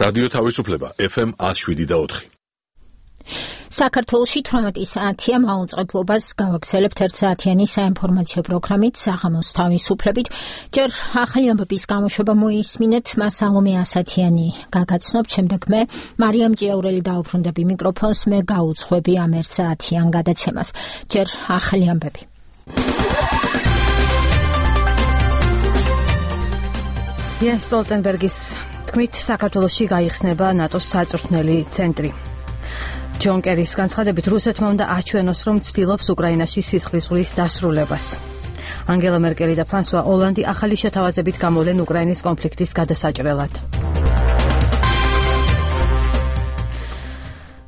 რადიო თავისუფლება FM 107.4. საქართველოში 18 საათია მაუწყებლობას გავაგზავნებთ 1 საათიანი საინფორმაციო პროგრამით საღამოს თავისუფლებით. ჯერ ახალი ამბების გამოშვება მოისმინეთ, მას სალომე ასათიანი გაგაცნობ, შემდეგ მე მარიამ ჭიაურელი დაუბრუნდები მიკროფონს, მე გაუძღვები ამ 1 საათიან გადაცემას. ჯერ ახალი ამბები. იენს სტოლტენბერგის თქმით, საქართველოში გაიხსნება ნატოს საწვრთნელი ცენტრი. ჯონ კერის განცხადებით, რუსეთმა უნდა აჩვენოს, რომ ცდილობს უკრაინაში სისხლის ზღვის დასრულებას. ანგელა მერკელი და ფრანსუა ოლანდი ახალი შეთავაზებით გამოვლენ უკრაინის კონფლიქტის გადასაჭრელად.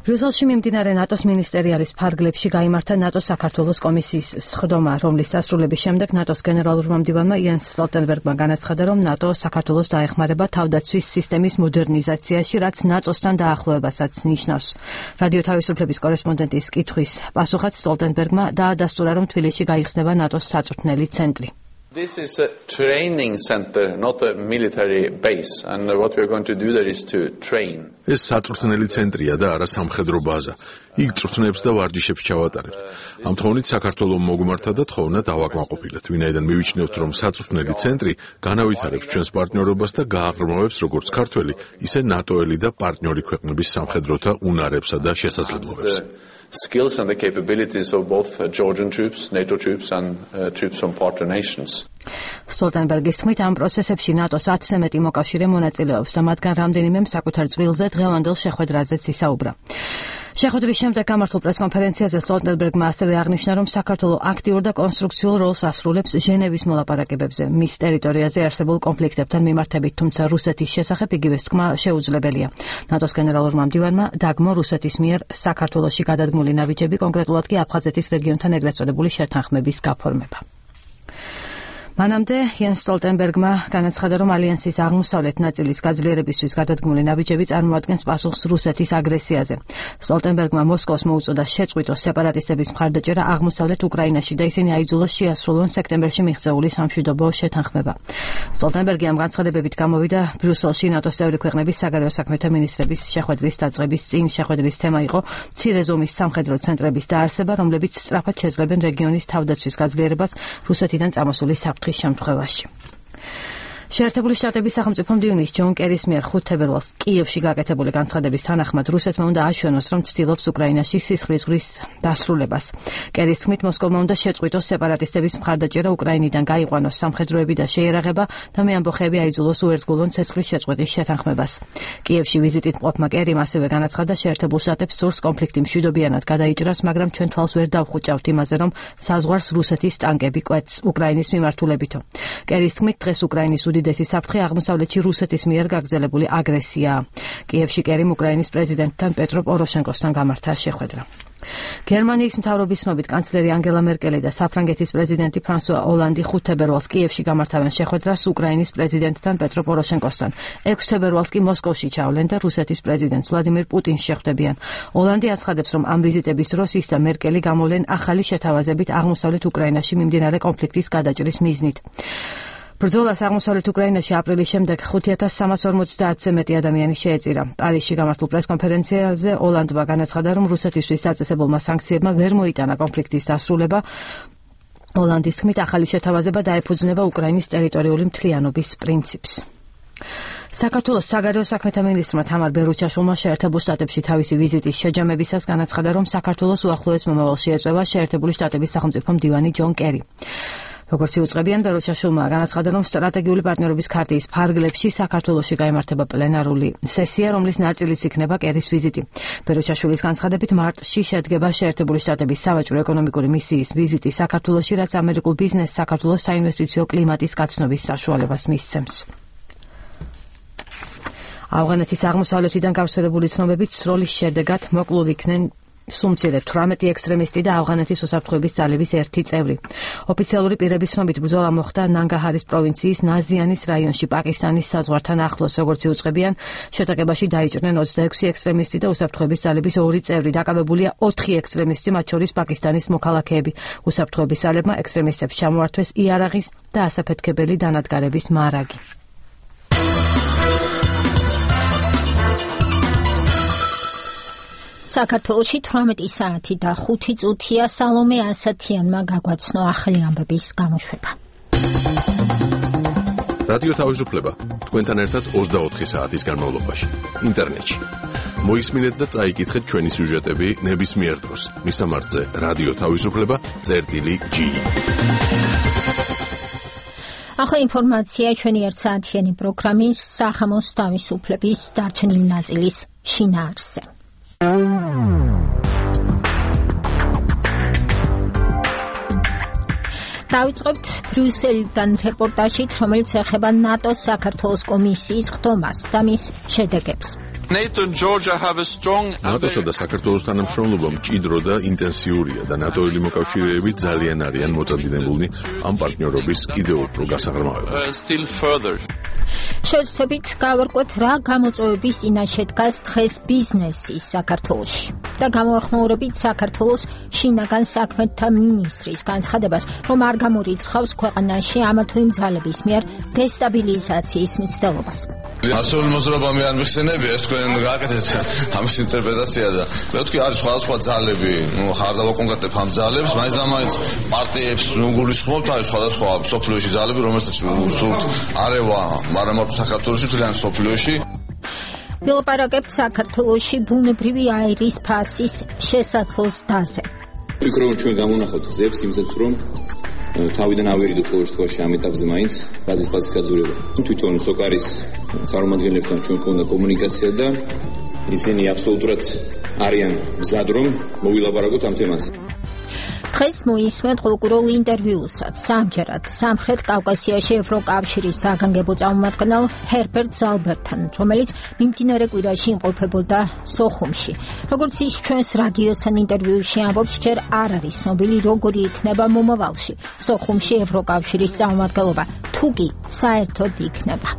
ბრიუსელში მიმდინარე ნატოს მინისტერიალის ფარგლებში გაიმართა ნატოს საქართველოს კომისიის სხდომა, რომლის დასრულების შემდეგ ნატოს გენერალურმა მდივანმა იენს სტოლტენბერგმა განაცხადა, რომ ნატო საქართველოს დაეხმარება თავდაცვის სისტემის მოდერნიზაციაში, რაც ნატოსთან დაახლოებასაც ნიშნავს. რადიო თავისუფლების კორესპონდენტის კითხვის პასუხად სტოლტენბერგმა დაადასტურა, რომ თბილისში გაიხსნება ნატოს საწვრთნელი ცენტრი. This is a training center, not a military base, and what we are going to do there is to train. ეს საწვრთნელი ცენტრია და არა სამხედრო ბაზა. იქ წვრთნებს და ვარჯიშებს ჩავატარებთ. ამ თხოვნით საქართველოს მოგმართა და თხოვნა დავაკმაყოფილეთ, ვინაიდან მივიჩნევთ, რომ საწვრთნელი ცენტრი განავითარებს ჩვენს პარტნიორობას და გააღრმავებს როგორც ქართველი, ისე ნატოელი და პარტნიორი ქვეყნების სამხედროთა უნარებსა და შესაძლებლობებს. Skills and the capabilities of both Georgian troops, NATO troops and troops from partner nations. სტოლტენბერგის თქმით, ამ პროცესებში ნატოს 10-ზე მეტი მოკავშირე მონაწილეობს და მათგან რამდენიმემ საკუთარ წვილზე დღევანდელ შეხვედრაზეც ისაუბრა. შეხვედრის შემდეგ გამართულ პრესკონფერენციაზე სტოლტენბერგმა ასევე აღნიშნა, რომ საქართველო აქტიურ და კონსტრუქციულ როლს ასრულებს ჟენევის მოლაპარაკებებზე მის ტერიტორიაზე არსებულ კონფლიქტებთან მიმართებით, თუმცა რუსეთის შესახებ იგივე თქმა შეუძლებელია. ნატოს გენერალურმა მდივანმა დაგმო რუსეთის მიერ საქართველოში გადადგმული ნავიჯები, კონკრეტულად კი აფხაზეთის რეგიონთან ეგრეთ წოდებული შეთანხმების გაფორმება. მანამდე იენს სტოლტენბერგმა განაცხადა, რომ ალიანსის აღმოსავლეთ ნაწილის გაძლიერებისთვის გადადგმული ნავიჯები წარმოადგენს პასუხს რუსეთის აგრესიაზე. სტოლტენბერგმა მოსკოვს მოუწოდა შეწყვიტოს სეპარატისტების მხარდაჭერა აღმოსავლეთ უკრაინაში და ისინი აიძულოს შეასრულონ სექტემბერში მიღწეული სამშვიდობო შეთანხმება. სტოლტენბერგი ამ განცხადებებით გამოვიდა ბრიუსელში ნატოს წევრი ქვეყნების საგარეო საქმეთა მინისტრების შეხვედრის დაწყების წინ. შეხვედრის თემა იყო მცირე ზომის სამხედრო ცენტრების დაარსება, რომლებიც სწრაფად შეძლებენ რეგიონის თავდაცვის გაძლიერებას რუსეთიდან წამოსული საფრთხის შემთხვევაში. შეერთებული შტატების სახელმწიფო მდივნის ჯონ კერის მიერ 5 თებერვალს კიევში გაკეთებული განცხადების თანახმად რუსეთმა უნდა აჩვენოს, რომ ცდილობს უკრაინაში სისხლის ზღვის დასრულებას. კერის თქმით, მოსკოვმა უნდა შეწყვიტოს სეპარატისტების მხარდაჭერა უკრაინიდან, გაიყვანოს სამხედროები და შეიარაღება და მე ამბოხები აიძულოს უერთგულონ ცეცხლის შეწყვეტის შეთანხმებას. კიევში ვიზიტით მყოფმა კერიმ ასევე განაცხადა, შეერთებულ შტატებს სურს კონფლიქტი მშვიდობიანად გადაიჭრას, მაგრამ ჩვენ თვალს ვერ დავხუჭავთ იმაზე, რომ საზღვარს რუსეთის ტანკები კვეთს უკრაინის მიმართულებითო. კერის თქმით, დღეს უკრაინის უდიდესი საფრთხე აღმოსავლეთში რუსეთის მიერ გაგრძელებული აგრესიაა. კიევში კერიმ უკრაინის პრეზიდენტთან პეტრო პოროშენკოსთან გამართა შეხვედრა. გერმანიის მთავრობის ცნობით კანცლერი ანგელა მერკელი და საფრანგეთის პრეზიდენტი ფრანსუა ოლანდი 5 თებერვალს კიევში გამართავენ შეხვედრას უკრაინის პრეზიდენტთან პეტრო პოროშენკოსთან. 6 თებერვალს კი მოსკოვში ჩავლენ და რუსეთის პრეზიდენტს ვლადიმირ პუტინს შეხვდებიან. ოლანდი აცხადებს, რომ ამ ვიზიტების დროს ის და მერკელი გამოვლენ ახალი შეთავაზებით აღმოსავლეთ უკრაინაში მიმდინარე კონფლიქტის გადაჭრის მიზნით. ბრძოლას აღმოსავლეთ უკრაინაში აპრილის შემდეგ 5350-ზე მეტი ადამიანი შეეწირა. პარიზში გამართულ პრესკონფერენციაზე ოლანდმა განაცხადა, რომ რუსეთისთვის დაწესებულმა სანქციებმა ვერ მოიტანა კონფლიქტის დასრულება. ოლანდის თქმით, ახალი შეთავაზება დაეფუძნება უკრაინის ტერიტორიული მთლიანობის პრინციპს. საქართველოს საგარეო საქმეთა მინისტრმა თამარ ბერუჩაშვილმა შეერთებულ შტატებში თავისი ვიზიტის შეჯამებისას განაცხადა, რომ საქართველოს უახლოეს მომავალში ეწევა შეერთებული შტატების სახელმწიფო მდივანი ჯონ კერი. როგორც იუწყებიან, ბერუჩაშვილმა განაცხადა, რომ სტრატეგიული პარტნიორობის ქარტიის ფარგლებში საქართველოში გაიმართება პლენარული სესია, რომლის ნაწილიც იქნება კერის ვიზიტი. ბერუჩაშვილის განცხადებით, მარტში შედგება შეერთებული შტატების სავაჭრო ეკონომიკური მისიის ვიზიტი საქართველოში, რაც ამერიკულ ბიზნესს საქართველოს საინვესტიციო კლიმატის გაცნობის საშუალებას მისცემს. ავღანეთის აღმოსავლეთიდან გავრცელებული ცნობებით სროლის შედეგად მოკლულ იქნენ სუმცირე 18 ექსტრემისტი და ავღანეთის უსაფრთხოების ძალების 1 წევრი. ოფიციალური პირების ცნობით ბრძოლა მოხდა ნანგაჰარის პროვინციის ნაზიანის რაიონში პაკისტანის საზღვართან ახლოს. როგორც იუწყებიან, შეტაკებაში დაიჭრნენ 26 ექსტრემისტი და უსაფრთხოების ძალების 2 წევრი. დაკავებულია 4 ექსტრემისტი, მათ შორის პაკისტანის მოქალაქეები. უსაფრთხოების ძალებმა ექსტრემისტებს ჩამოართვეს იარაღის და ასაფეთქებელი დანადგარების მარაგი. საქართველოში 18 საათი და 5 წუთია. სალომე ასათიანმა გაგვაცნო ახალი ამბების გამოშვება. რადიო თავისუფლება თქვენთან ერთად 24 საათის განმავლობაში ინტერნეტში. მოისმინეთ და წაიკითხეთ ჩვენი სიუჟეტები ნებისმიერ დროს. მისამართზე რადიო თავისუფლება.g. ახლა ინფორმაცია ჩვენი ერთსაათიანი პროგრამის სახამოს თავისუფლების დარჩენილი ნაწილის შინაარსზე. დავიწყებთ ბრიუსელიდან რეპორტაჟით, რომელიც ეხება ნატოს საქართველოს კომისიის ხდომას და მის შედეგებს. ნატოსა და საქართველოს თანამშრომლობა მჭიდრო და ინტენსიურია და ნატოელი მოკავშირეები ძალიან არიან მოწადინებულნი ამ პარტნიორობის კიდევ უფრო გასაღრმავებას. შევცდებით გავარკვევთ რა გამოწვევების წინაშე დგას დღეს ბიზნესი საქართველოში და გამოახმაურებით საქართველოს შინაგან საქმეთა მინისტრის განცხადებას, რომ არ გამორიცხავს ქვეყანაში ამა თუ იმ ძალების მიერ დესტაბილიზაციის მცდელობას. ასეული მოძრაობა მე არ მიხსენებია, ეს თქვენ გააკეთეთ ამის ინტერპრეტაცია და მე ვთქვი არის სხვადასხვა ძალები, ხარ დავაკონკრეტებ ამ ძალებს, მაინც და მაინც პარტიებს გულისხმობთ, არის სხვადასხვა სოფლიოში ძალები, რომელსაც სულთ არევა, მაგრამ საქართველოში თლიან სოფლიოში. ვილაპარაკებთ საქართველოში ბუნებრივი აირის ფასის შესაძლოს დაზე. ვფიქრობ, ჩვენ გამონახავთ გზებს იმისათვის, რომ თავიდან ავერიდოთ ყოველ შემთხვევაში ამ ეტაპზე მაინც გაზის ფასის გაძვირება. თვითონ სოკარის წარმომადგენლებთან ჩვენ ქონდა კომუნიკაცია და ისინი აბსოლუტურად არიან მზად, რომ მოვილაპარაკოთ ამ თემაზე. დღეს მოისმენთ ყურულ ინტერვიუსაც სამჯერად სამხრეთ კავკასიაში ევროკავშირის საგანგებო წარმომადგენელ ჰერბერტ ზალბერთან, რომელიც მიმდინარე კვირაში იმყოფებოდა სოხუმში. როგორც ის ჩვენს რადიოსთან ინტერვიუში ამბობს, ჯერ არ არის ცნობილი, როგორი იქნება მომავალში სოხუმში ევროკავშირის წარმომადგენლობა, თუ კი საერთოდ იქნება.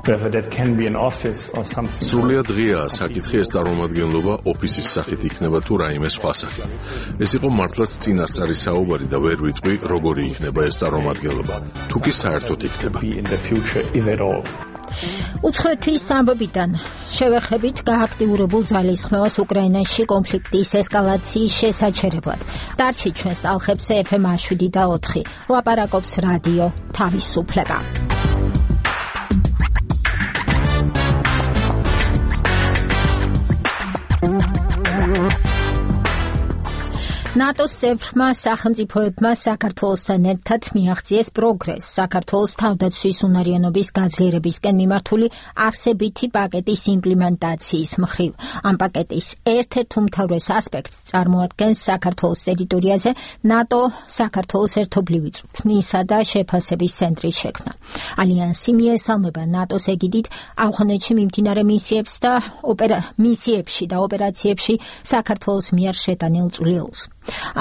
სრულიად ღიაა საკითხი, ეს წარმომადგენლობა ოფისის სახით იქნება თუ რაიმე სხვა სახით. ეს იყო მართლაც წინასწარი საუბარი და ვერ ვიტყვი, როგორი იქნება ეს წარმომადგენლობა, თუ კი საერთოდ იქნება. უცხოეთის ამბებიდან შევეხებით გააქტიურებულ ძალისხმევას უკრაინაში კონფლიქტის ესკალაციის შესაჩერებლად. დარჩი ჩვენს ტალხებზე FM 7 და 4. ლაპარაკობს რადიო თავისუფლება. ნატოს წევრმა სახელმწიფოებმა საქართველოსთან ერთად მიაღწიეს პროგრესს საქართველოს თავდაცვის უნარიანობის გაძლიერებისკენ მიმართული არსებითი პაკეტის იმპლემენტაციის მხრივ. ამ პაკეტის ერთ-ერთ უმთავრეს ასპექტს წარმოადგენს საქართველოს ტერიტორიაზე ნატო საქართველოს ერთობლივი წვრთნისა და შეფასების ცენტრის შექმნა. ალიანსი მიესალმება ნატოს ეგიდით ავღანეთში მიმდინარე მისიებში და ოპერაციებში საქართველოს მიერ შეტანილ წვლილს.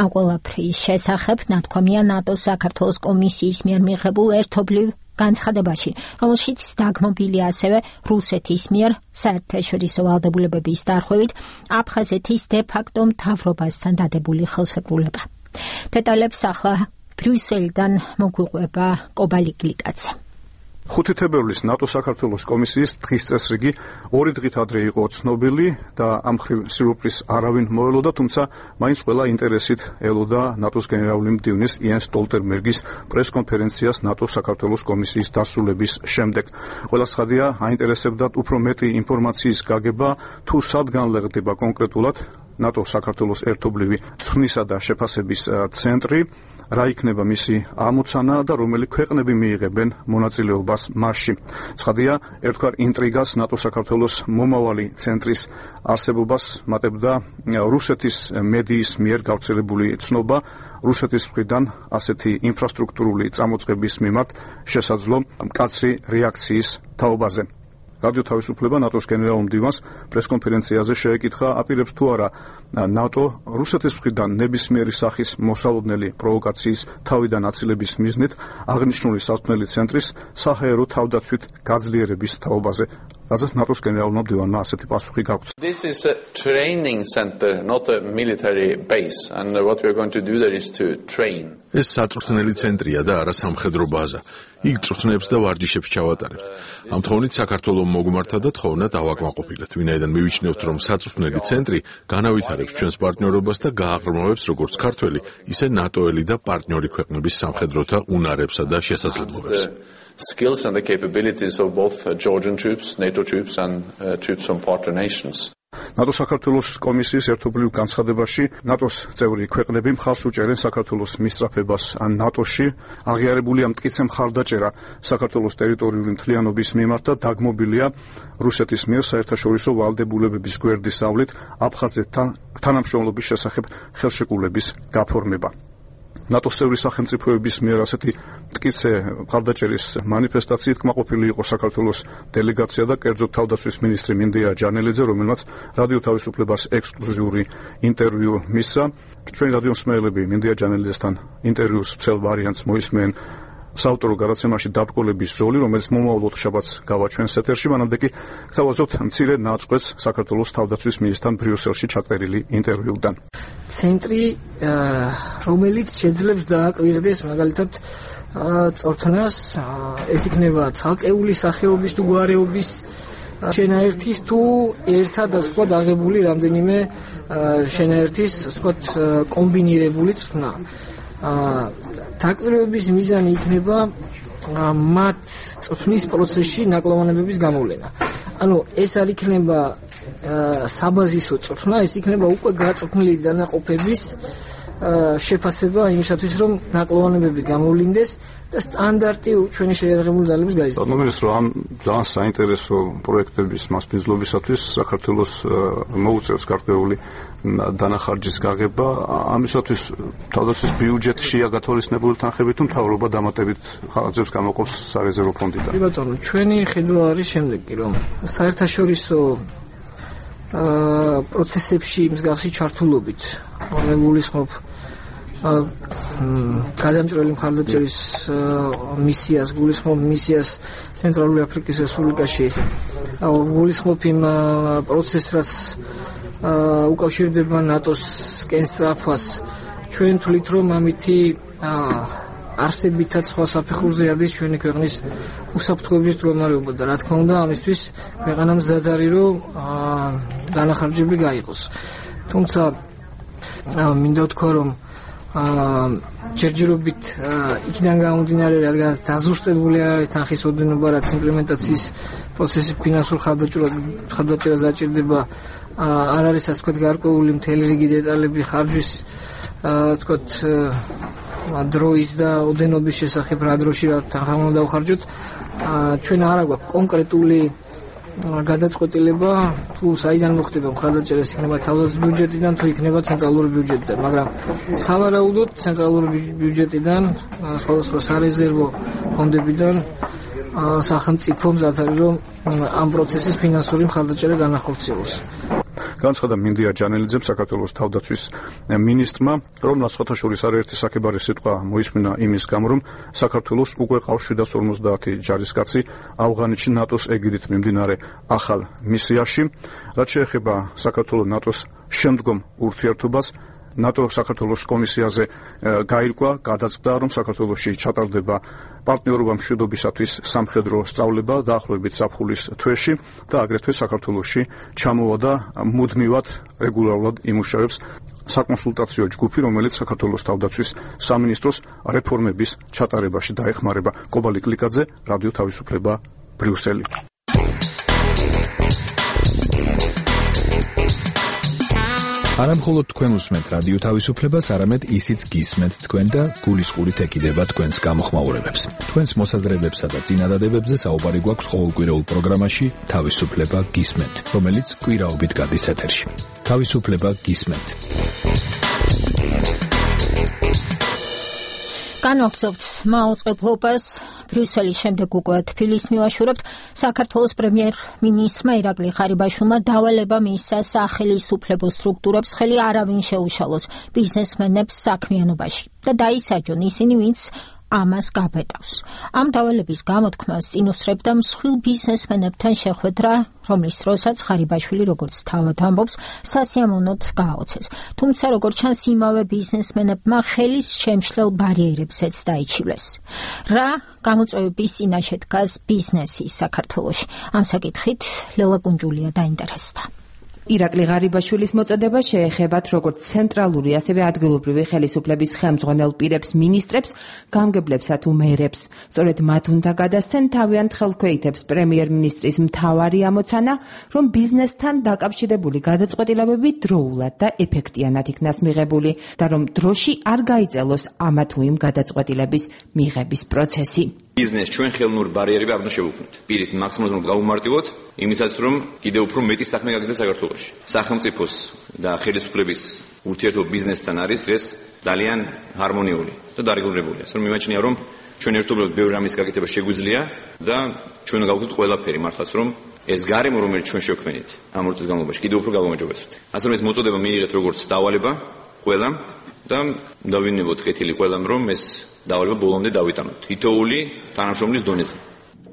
ამ ყველაფრის შესახებ ნათქვამია ნატოს საქართველოს კომისიის მიერ მიღებულ ერთობლივ განცხადებაში, რომელშიც დაგმობილია ასევე რუსეთის მიერ საერთაშორისო ვალდებულებების დარღვევით აფხაზეთის დე-ფაქტო მთავრობასთან დადებული ხელშეკრულება. დეტალებს ახლა ბრიუსელიდან მოგვიყვება კობალი გლიკაძე. 5 თებერვლის ნატო-საქართველოს კომისიის დღის წესრიგი 2 დღით ადრე იყო ცნობილი და ამ მხრივ სიურპრიზს არავინ მოელოდა, თუმცა მაინც ყველა ინტერესით ელოდა ნატოს გენერალური მდივნის იენს სტოლტენბერგის პრესკონფერენციას ნატო-საქართველოს კომისიის დასრულების შემდეგ. ყველა ცხადია აინტერესებდათ უფრო მეტი ინფორმაციის გაგება, თუ სად განლაგდება კონკრეტულად ნატო-საქართველოს ერთობლივი წვრთნისა და შეფასების ცენტრი, რა იქნება მისი ამოცანა და რომელი ქვეყნები მიიღებენ მონაწილეობას მასში. ცხადია, ერთგვარ ინტრიგას ნატო-საქართველოს მომავალი ცენტრის არსებობას მატებდა რუსეთის მედიის მიერ გავრცელებული ცნობა რუსეთის მხრიდან ასეთი ინფრასტრუქტურული წამოწყების მიმართ შესაძლო მკაცრი რეაქციის თაობაზე. რადიო თავისუფლება ნატოს გენერალურ მდივანს პრესკონფერენციაზე შეეკითხა, აპირებს თუ არა ნატო რუსეთის მხრიდან ნებისმიერი სახის მოსალოდნელი პროვოკაციის თავიდან აცილების მიზნით აღნიშნული სასწავლელი ცენტრის საჰაერო თავდაცვით გაძლიერების თაობაზე. რაზეც ნატოს გენერალურმა მდივანმა ასეთი პასუხი გაგვცა. This is a training center, not a military base, and what we are going to do there is to train. ეს საწვრთნელი ცენტრია და არა სამხედრო ბაზა. იქ წვრთნებს და ვარჯიშებს ჩავატარებთ. ამ თხოვნით საქართველოს მოგმართა და თხოვნა დავაკმაყოფილეთ, ვინაიდან მივიჩნევთ, რომ საწვრთნელი ცენტრი განავითარებს ჩვენს პარტნიორობას და გააღრმავებს როგორც ქართველი, ისე ნატოელი და პარტნიორი ქვეყნების სამხედროთა უნარებსა და შესაძლებლობებს. Skills and the capabilities of both Georgian troops, NATO troops and troops from partner nations. ნატო საქართველოს კომისიის ერთობლივ განცხადებაში ნატოს წევრი ქვეყნები მხარს უჭერენ საქართველოს მისწრაფებას ან ნატოში აღიარებულია მტკიცე მხარდაჭერა საქართველოს ტერიტორიული მთლიანობის მიმართ და დაგმობილია რუსეთის მიერ საერთაშორისო ვალდებულებების გვერდისავლით აფხაზეთთან თანამშრომლობის შესახებ ხელშეკრულების გაფორმება. ნატოს წევრი სახელმწიფოების მიერ ასეთი მტკიცე მხარდაჭერის მანიფესტაციით კმაყოფილი იყო საქართველოს დელეგაცია და კერძოდ თავდაცვის მინისტრი მინდია ჯანელიძე, რომელმაც რადიო თავისუფლებას ექსკლუზიური ინტერვიუ მისცა. ჩვენი რადიო მსმენელები მინდია ჯანელიძესთან ინტერვიუს ვრცელ ვარიანტს მოისმენ საავტორო გადაცემაში დაბრკოლების ზოლი, რომელიც მომავალ შაბათს გავაჩვენს ეთერში, მანამდე კი გთავაზობთ მცირე ნაწყვეტს საქართველოს თავდაცვის მინისტრთან ბრიუსელში ჩაწერილი ინტერვიუდან. ცენტრი, რომელიც შეძლებს დააკვირდეს მაგალითად წვრთნას, ეს იქნება ცალკეული სახეობის თუ გვარეობის შენაერთის თუ ერთად სხვა დაღებული რამდენიმე შენაერთის სხვა კომბინირებული წვრთნა. დაკვირვების მიზანი იქნება მათ წვრთნის პროცესში ნაკლოვანებების გამოვლენა. ანუ ეს არ იქნება საბაზისო წვრთნა, ეს იქნება უკვე გაწვრთნილი დანაყოფების შეფასება იმისათვის, რომ ნაკლოვანებები გამოვლინდეს და სტანდარტი ჩვენი შეიარაღებული ძალების გაიზარდოს. მოგესწრებით, რომ ამ ძალიან საინტერესო პროექტების მასპინძლობისათვის საქართველოს მოუწევს გარკვეული დანახარჯის გაღება. ამისათვის თავდაცვის ბიუჯეტშია გათვალისწინებული თანხები თუ მთავრობა დამატებით ხალხებს გამოყოფს სარეზერვო ფონდიდან. კი ბატონო, ჩვენი ხედვა არის შემდეგი, რომ საერთაშორისო პროცესებში მსგავსი ჩართულობით გულისხმობ გადამჭრელი მხარდაჭერის მისიას, გულისხმობ მისიას ცენტრალური აფრიკის რესპუბლიკაში, გულისხმობ იმ პროცესს, რაც უკავშირდება ნატოს კენსწრაფვას. ჩვენ თვლით, რომ ამითი არსებითაც სხვა საფეხურზე არის ჩვენი ქვეყნის უსაფრთხოების მდგომარეობა და რა თქმა უნდა ამისთვის ქვეყანამ მზად არის, რომ დანახარჯები გაიყოს. თუმცა მინდა ვთქვა, რომ ჯერჯერობით იქიდან გამომდინარე, რადგან დაზუსტებული არის თანხის ოდენობა, რაც იმპლემენტაციის პროცესის ფინანსურ მხარდაჭერას დაჭირდება, არ არის ასე ვთქვათ გარკვეული მთელი რიგი დეტალები ხარჯვის ვთქვათ დროის და ოდენობის შესახებ, რა დროში რა თანხა უნდა დავხარჯოთ. ჩვენ არ აქვს კონკრეტული გადაწყვეტილება თუ საიდან მოხდება მხარდაჭერა, იქნება თავდაცვის ბიუჯეტიდან თუ იქნება ცენტრალური ბიუჯეტიდან, მაგრამ სავარაუდოდ ცენტრალური ბიუჯეტიდან, სხვადასხვა სარეზერვო ფონდებიდან სახელმწიფო მზად არის, რომ ამ პროცესის ფინანსური მხარდაჭერა განახორციელოს. განცხადა მინდია ჯანელიძემ საქართველოს თავდაცვის მინისტრმა, რომ სხვათა შორის არაერთი საკებარე სიტყვა მოისმინა იმის გამო, რომ საქართველოს უკვე ყავს 750 ჯარისკაცი ავღანეთში ნატოს ეგიდით მიმდინარე ახალ მისიაში. რაც შეეხება საქართველოს ნატოს შემდგომ ურთიერთობას, ნატო საქართველოს კომისიაზე გაირკვა, გადაწყდა, რომ საქართველოში ჩატარდება პარტნიორობა მშვიდობისათვის სამხედრო სწავლება დაახლოებით ზაფხულის თვეში და აგრეთვე საქართველოში ჩამოვა და მუდმივად რეგულარულად იმუშავებს საკონსულტაციო ჯგუფი, რომელიც საქართველოს თავდაცვის სამინისტროს რეფორმების ჩატარებაში დაეხმარება. კობალი კლიკაძე, რადიო თავისუფლება, ბრიუსელი. არამხოლოდ თქვენ უსმენთ რადიო თავისუფლებას, არამედ ისიც გისმენთ თქვენ და გულისყურით ეკიდება თქვენს გამოხმაურებებს. თქვენს მოსაზრებებსა და წინადადებებზე საუბარი გვაქვს ყოველკვირეულ პროგრამაში თავისუფლება გისმენთ, რომელიც კვირაობით გადის ეთერში. თავისუფლება გისმენთ. განვაგრძობთ მაუწყებლობას. ბრიუსელის შემდეგ უკვე თბილისს მივაშურებთ. საქართველოს პრემიერ-მინისტრმა ირაკლი ღარიბაშვილმა დავალება მისცა სახელისუფლებო სტრუქტურებს ხელი არავინ შეუშალოს ბიზნესმენებს საქმიანობაში და დაისაჯონ ისინი, ვინც ამას გაბედავს. ამ დავალების გამოთქმას წინუსწრებდა მსხვილ ბიზნესმენებთან შეხვედრა, რომლის დროსაც ღარიბაშვილი, როგორც თავად ამბობს, სასიამოვნოდ გააოცეს. თუმცა, როგორც ჩანს, იმავე ბიზნესმენებმა ხელის შემშლელ ბარიერებსაც დაიჩივლეს. რა გამოწვევების წინაშე დგას ბიზნესი საქართველოში? ამ საკითხით ლელა კუნჯულია დაინტერესდა. ირაკლი ღარიბაშვილის მოწოდება შეეხებათ როგორც ცენტრალური, ასევე ადგილობრივი ხელისუფლების ხელმძღვანელ პირებს, მინისტრებს, გამგებლებსა თუ მერებს. სწორედ მათ უნდა გადასცენ თავიანთ ხელქვეითებს პრემიერ-მინისტრის მთავარი ამოცანა, რომ ბიზნესთან დაკავშირებული გადაწყვეტილებები დროულად და ეფექტიანად იქნას მიღებული და რომ დროში არ გაიწელოს ამა თუ იმ გადაწყვეტილების მიღების პროცესი. ბიზნეს ჩვენ ხელოვნური ბარიერები არ უნდა შევუქმნით. პირით მაქსიმალურად გავუმარტივოთ, იმისაც რომ კიდევ უფრო მეტი საქმე გაგდეს საქართველოში. სახელმწიფოს და ხელისუფლების ურთიერთობა ბიზნესთან არის დღეს ძალიან ჰარმონიული და დარეგულირებული. ასე რომ მიმაჩნია რომ ჩვენ ერთობლივად ბევრი რამის გაკეთება შეგვიძლია და ჩვენ გავხდით ყველაფერი მართლაც რომ ეს გარემო რომელიც ჩვენ შევქმნით ამ 2 წლის განმავლობაში კიდევ უფრო გავამაჯობესოთ. ასე რომ ეს მოწოდება მიიღეთ როგორც დავალება ყველამ და დავინებოთ კეთილი ყველამ რომ ეს დავალება ბოლომდე დავიტანოთ თითოეული თანამშრომლის დონეზე.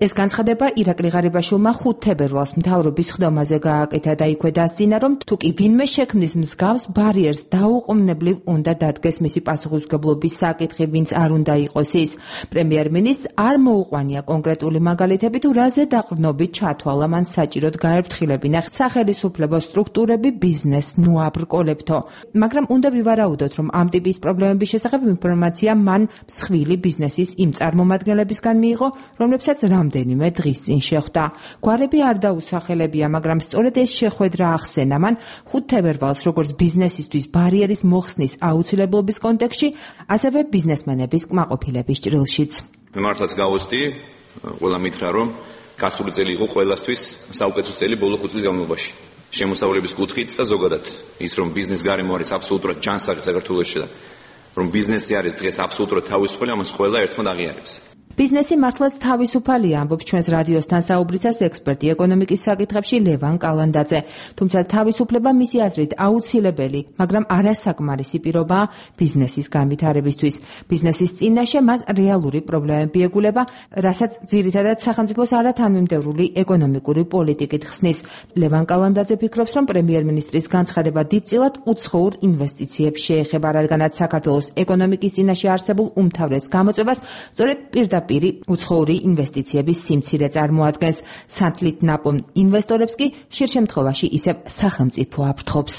ეს განცხადება ირაკლი ღარიბაშვილმა 5 თებერვალს მთავრობის ხდომაზე გააკეთა და იქვე დასძინა, რომ თუ კი ვინმე შექმნის მსგავს ბარიერს დაუყოვნებლივ უნდა დადგეს მისი პასუხისმგებლობის საკითხი, ვინც არ უნდა იყოს ის. პრემიერ-მინისტრს არ მოუყვანია კონკრეტული მაგალითები თუ რაზე დაყრდნობით ჩათვალა მან საჭიროდ გაერფრთხილებინა სახელისუფლებო სტრუქტურები ბიზნესს ნუაბრკოლებთო. მაგრამ უნდა ვივარაუდოთ, რომ ამ ტიპის პრობლემების შესახებ ინფორმაცია მან მსხვილი ბიზნესის იმ წარმომადგენლებისგან მიიღო, რომლებსაც რამდენიმე დღის წინ შეხვდა. გვარები არ დაუსახელებია, მაგრამ სწორედ ეს შეხვედრა ახსენა მან 5 თებერვალს როგორც ბიზნესისთვის ბარიერის მოხსნის აუცილებლობის კონტექსტში, ასევე ბიზნესმენების კმაყოფილების ჭრილშიც. მე მართლაც გავოცდი, ყველა მითხრა რომ გასული წელი იყო ყველასთვის საუკეთესო წელი ბოლო 5 წლის განმავლობაში. შემოსავლების კუთხით და ზოგადად ის რომ ბიზნეს გარემო არის აბსოლუტურად ჯანსაღი საქართველოში და რომ ბიზნესი არის დღეს აბსოლუტურად თავისუფალი, ამას ყველა ერთმანეთს აღიარებს. ბიზნესი მართლაც თავისუფალია, ამბობს ჩვენს რადიოსთან საუბრისას ექსპერტი ეკონომიკის საკითხებში ლევან კალანდაძე. თუმცა თავისუფლება მისი აზრით აუცილებელი, მაგრამ არასაკმარისი პირობაა ბიზნესის განვითარებისთვის. ბიზნესის წინაშე მას რეალური პრობლემები ეგულება, რასაც ძირითადად სახელმწიფოს არათანმიმდევრული ეკონომიკური პოლიტიკით ხსნის. ლევან კალანდაძე ფიქრობს, რომ პრემიერ-მინისტრის განცხადება დიდწილად უცხოურ ინვესტიციებს შეეხება, რადგანაც საქართველოს ეკონომიკის წინაშე არსებულ უმთავრეს გამოწვევას სწორედ პირდაპირ უცხოური ინვესტიციების სიმცირე წარმოადგენს. სანთლით ნაპოვნ ინვესტორებს კი ხშირ შემთხვევაში ისევ სახელმწიფო აფრთხობს.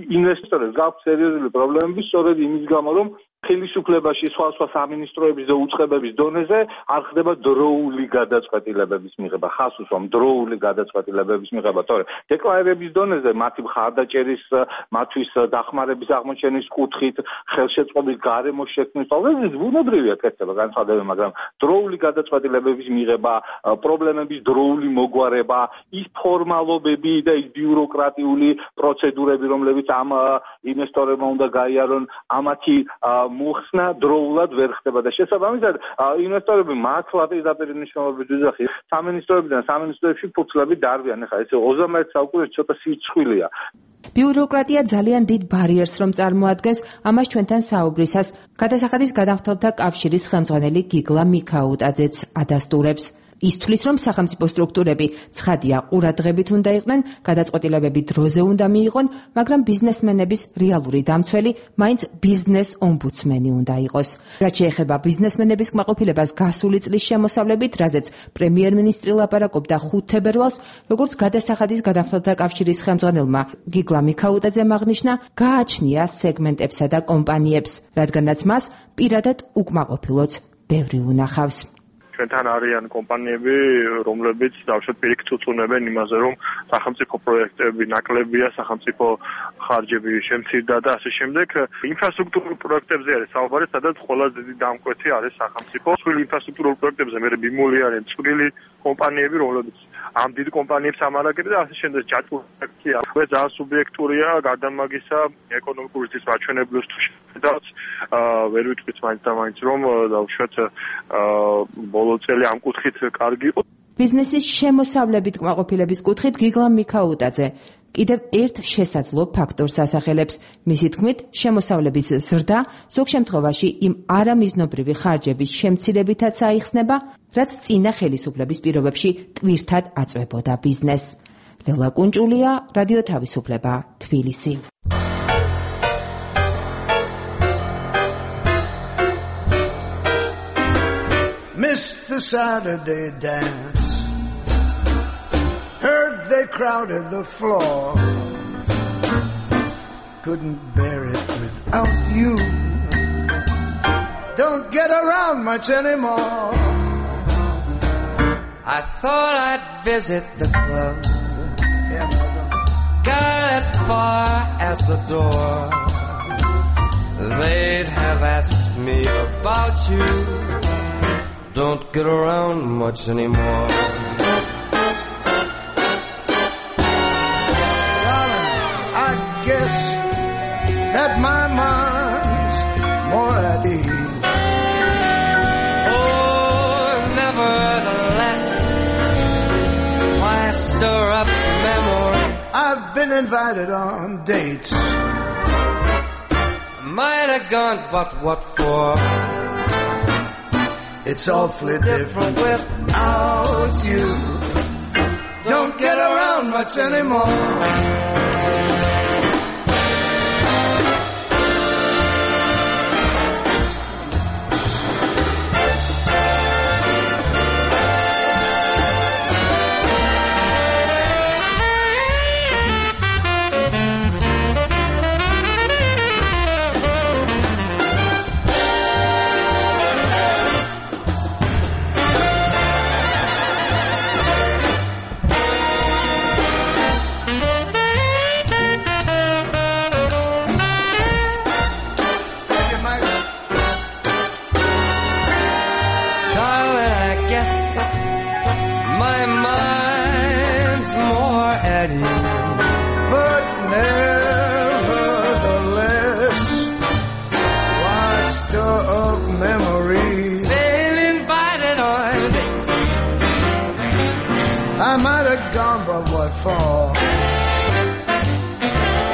ინვესტორებს გააქვთ სერიოზული პრობლემები სწორედ იმის გამო, რომ ხელისუფლებაში სხვა სამინისტროების და უწყებების დონეზე არ ხდება დროული გადაწყვეტილებების მიღება, ხას უსვამ დროული გადაწყვეტილებების მიღება, თორე დეკლარირების დონეზე მათი მხარდაჭერის, მათთვის დახმარების აღმოჩენის კუთხით, ხელშეწყობის გარემოს შექმნის ყოველთვის ბუნებრივია კეთება განცხადები, მაგრამ დროული გადაწყვეტილებების მიღება, პრობლემების დროული მოგვარება, ის ფორმალობები და ის ბიუროკრატიული პროცედურები, რომლებიც ამ ინვესტორებმა უნდა გაიარონ, ამათი მოხსნა დროულად ვერ ხდება და შესაბამისად ინვესტორები მართლა პირდაპირ მნიშვნელობით ვიძახი სამინისტროებიდან სამინისტროებში ფურცლები დარბიან. ახლა ეს 21 საუკუნეში ცოტა სიცხვილეა. ბიუროკრატია ძალიან დიდ ბარიერს რომ წარმოადგენს, ამას ჩვენთან საუბრისას გადასახადის გადამხდელთა კავშირის ხელმძღვანელი გიგლა მიქაუტაძეც ადასტურებს. ის თვლის, რომ სახელმწიფო სტრუქტურები ცხადია ყურადღებით უნდა იყვნენ, გადაწყვეტილებები დროზე უნდა მიიღონ, მაგრამ ბიზნესმენების რეალური დამცველი მაინც ბიზნეს ომბუდსმენი უნდა იყოს. რაც შეეხება ბიზნესმენების კმაყოფილებას გასული წლის შემოსავლებით, რაზეც პრემიერ-მინისტრი ლაპარაკობდა 5 თებერვალს, როგორც გადასახადის გადამხდელთა კავშირის ხელმძღვანელმა გიგლა მიქაუტაძემ აღნიშნა, გააჩნია სეგმენტებსა და კომპანიებს, რადგანაც მას პირადად უკმაყოფილოც ბევრი უნახავს. ჩვენთან არიან კომპანიები, რომლებიც დავშოთ პირიქით უწუნებენ იმაზე, რომ სახელმწიფო პროექტები ნაკლებია, სახელმწიფო ხარჯები შემცირდა და ასე შემდეგ. ინფრასტრუქტურულ პროექტებზე არის საუბარი, სადაც ყველაზე დიდი დამკვეთი არის სახელმწიფო. მსხვილი ინფრასტრუქტურულ პროექტებზე მე ბიმული არის მსხვილი კომპანიები, რომლებიც ამ დიდ კომპანიებს ამარაგებენ და ასე შემდეგ ჯაჭვურია. ეს ძალიან სუბიექტურია, გარდა მაგისა, ეკონომიკური ზრდის მაჩვენებლებს თუ შედავთ, ვერ ვიტყვით მაინც და მაინც რომ დავუშვათ ბოლო წელი ამ კუთხით კარგი იყო. ბიზნესის შემოსავლებით კმაყოფილების კუთხით გიგლა მიქაუტაძე. კიდევ ერთ შესაძლო ფაქტორს ასახელებს. მისი თქმით, შემოსავლების ზრდა ზოგ შემთხვევაში იმ არამიზნობრივი ხარჯების შემცირებითაც აიხსნება, რაც წინა ხელისუფლების პირობებში ტვირთად აწვებოდა ბიზნესს. ლელა კუნჭულია, რადიო თავისუფლება, თბილისი. Missed the Saturday dance. Heard they crowded the floor. Couldn't bear it without you. Don't get around much anymore. I thought I'd visit the club. Got as far as the door. They'd have asked me about you. Don't get around much anymore. Darling, I guess that my mind's more at ease. Oh, nevertheless, why stir up memories? I've been invited on dates. Might have gone, but what for? It's awfully different without you. Don't get around much anymore.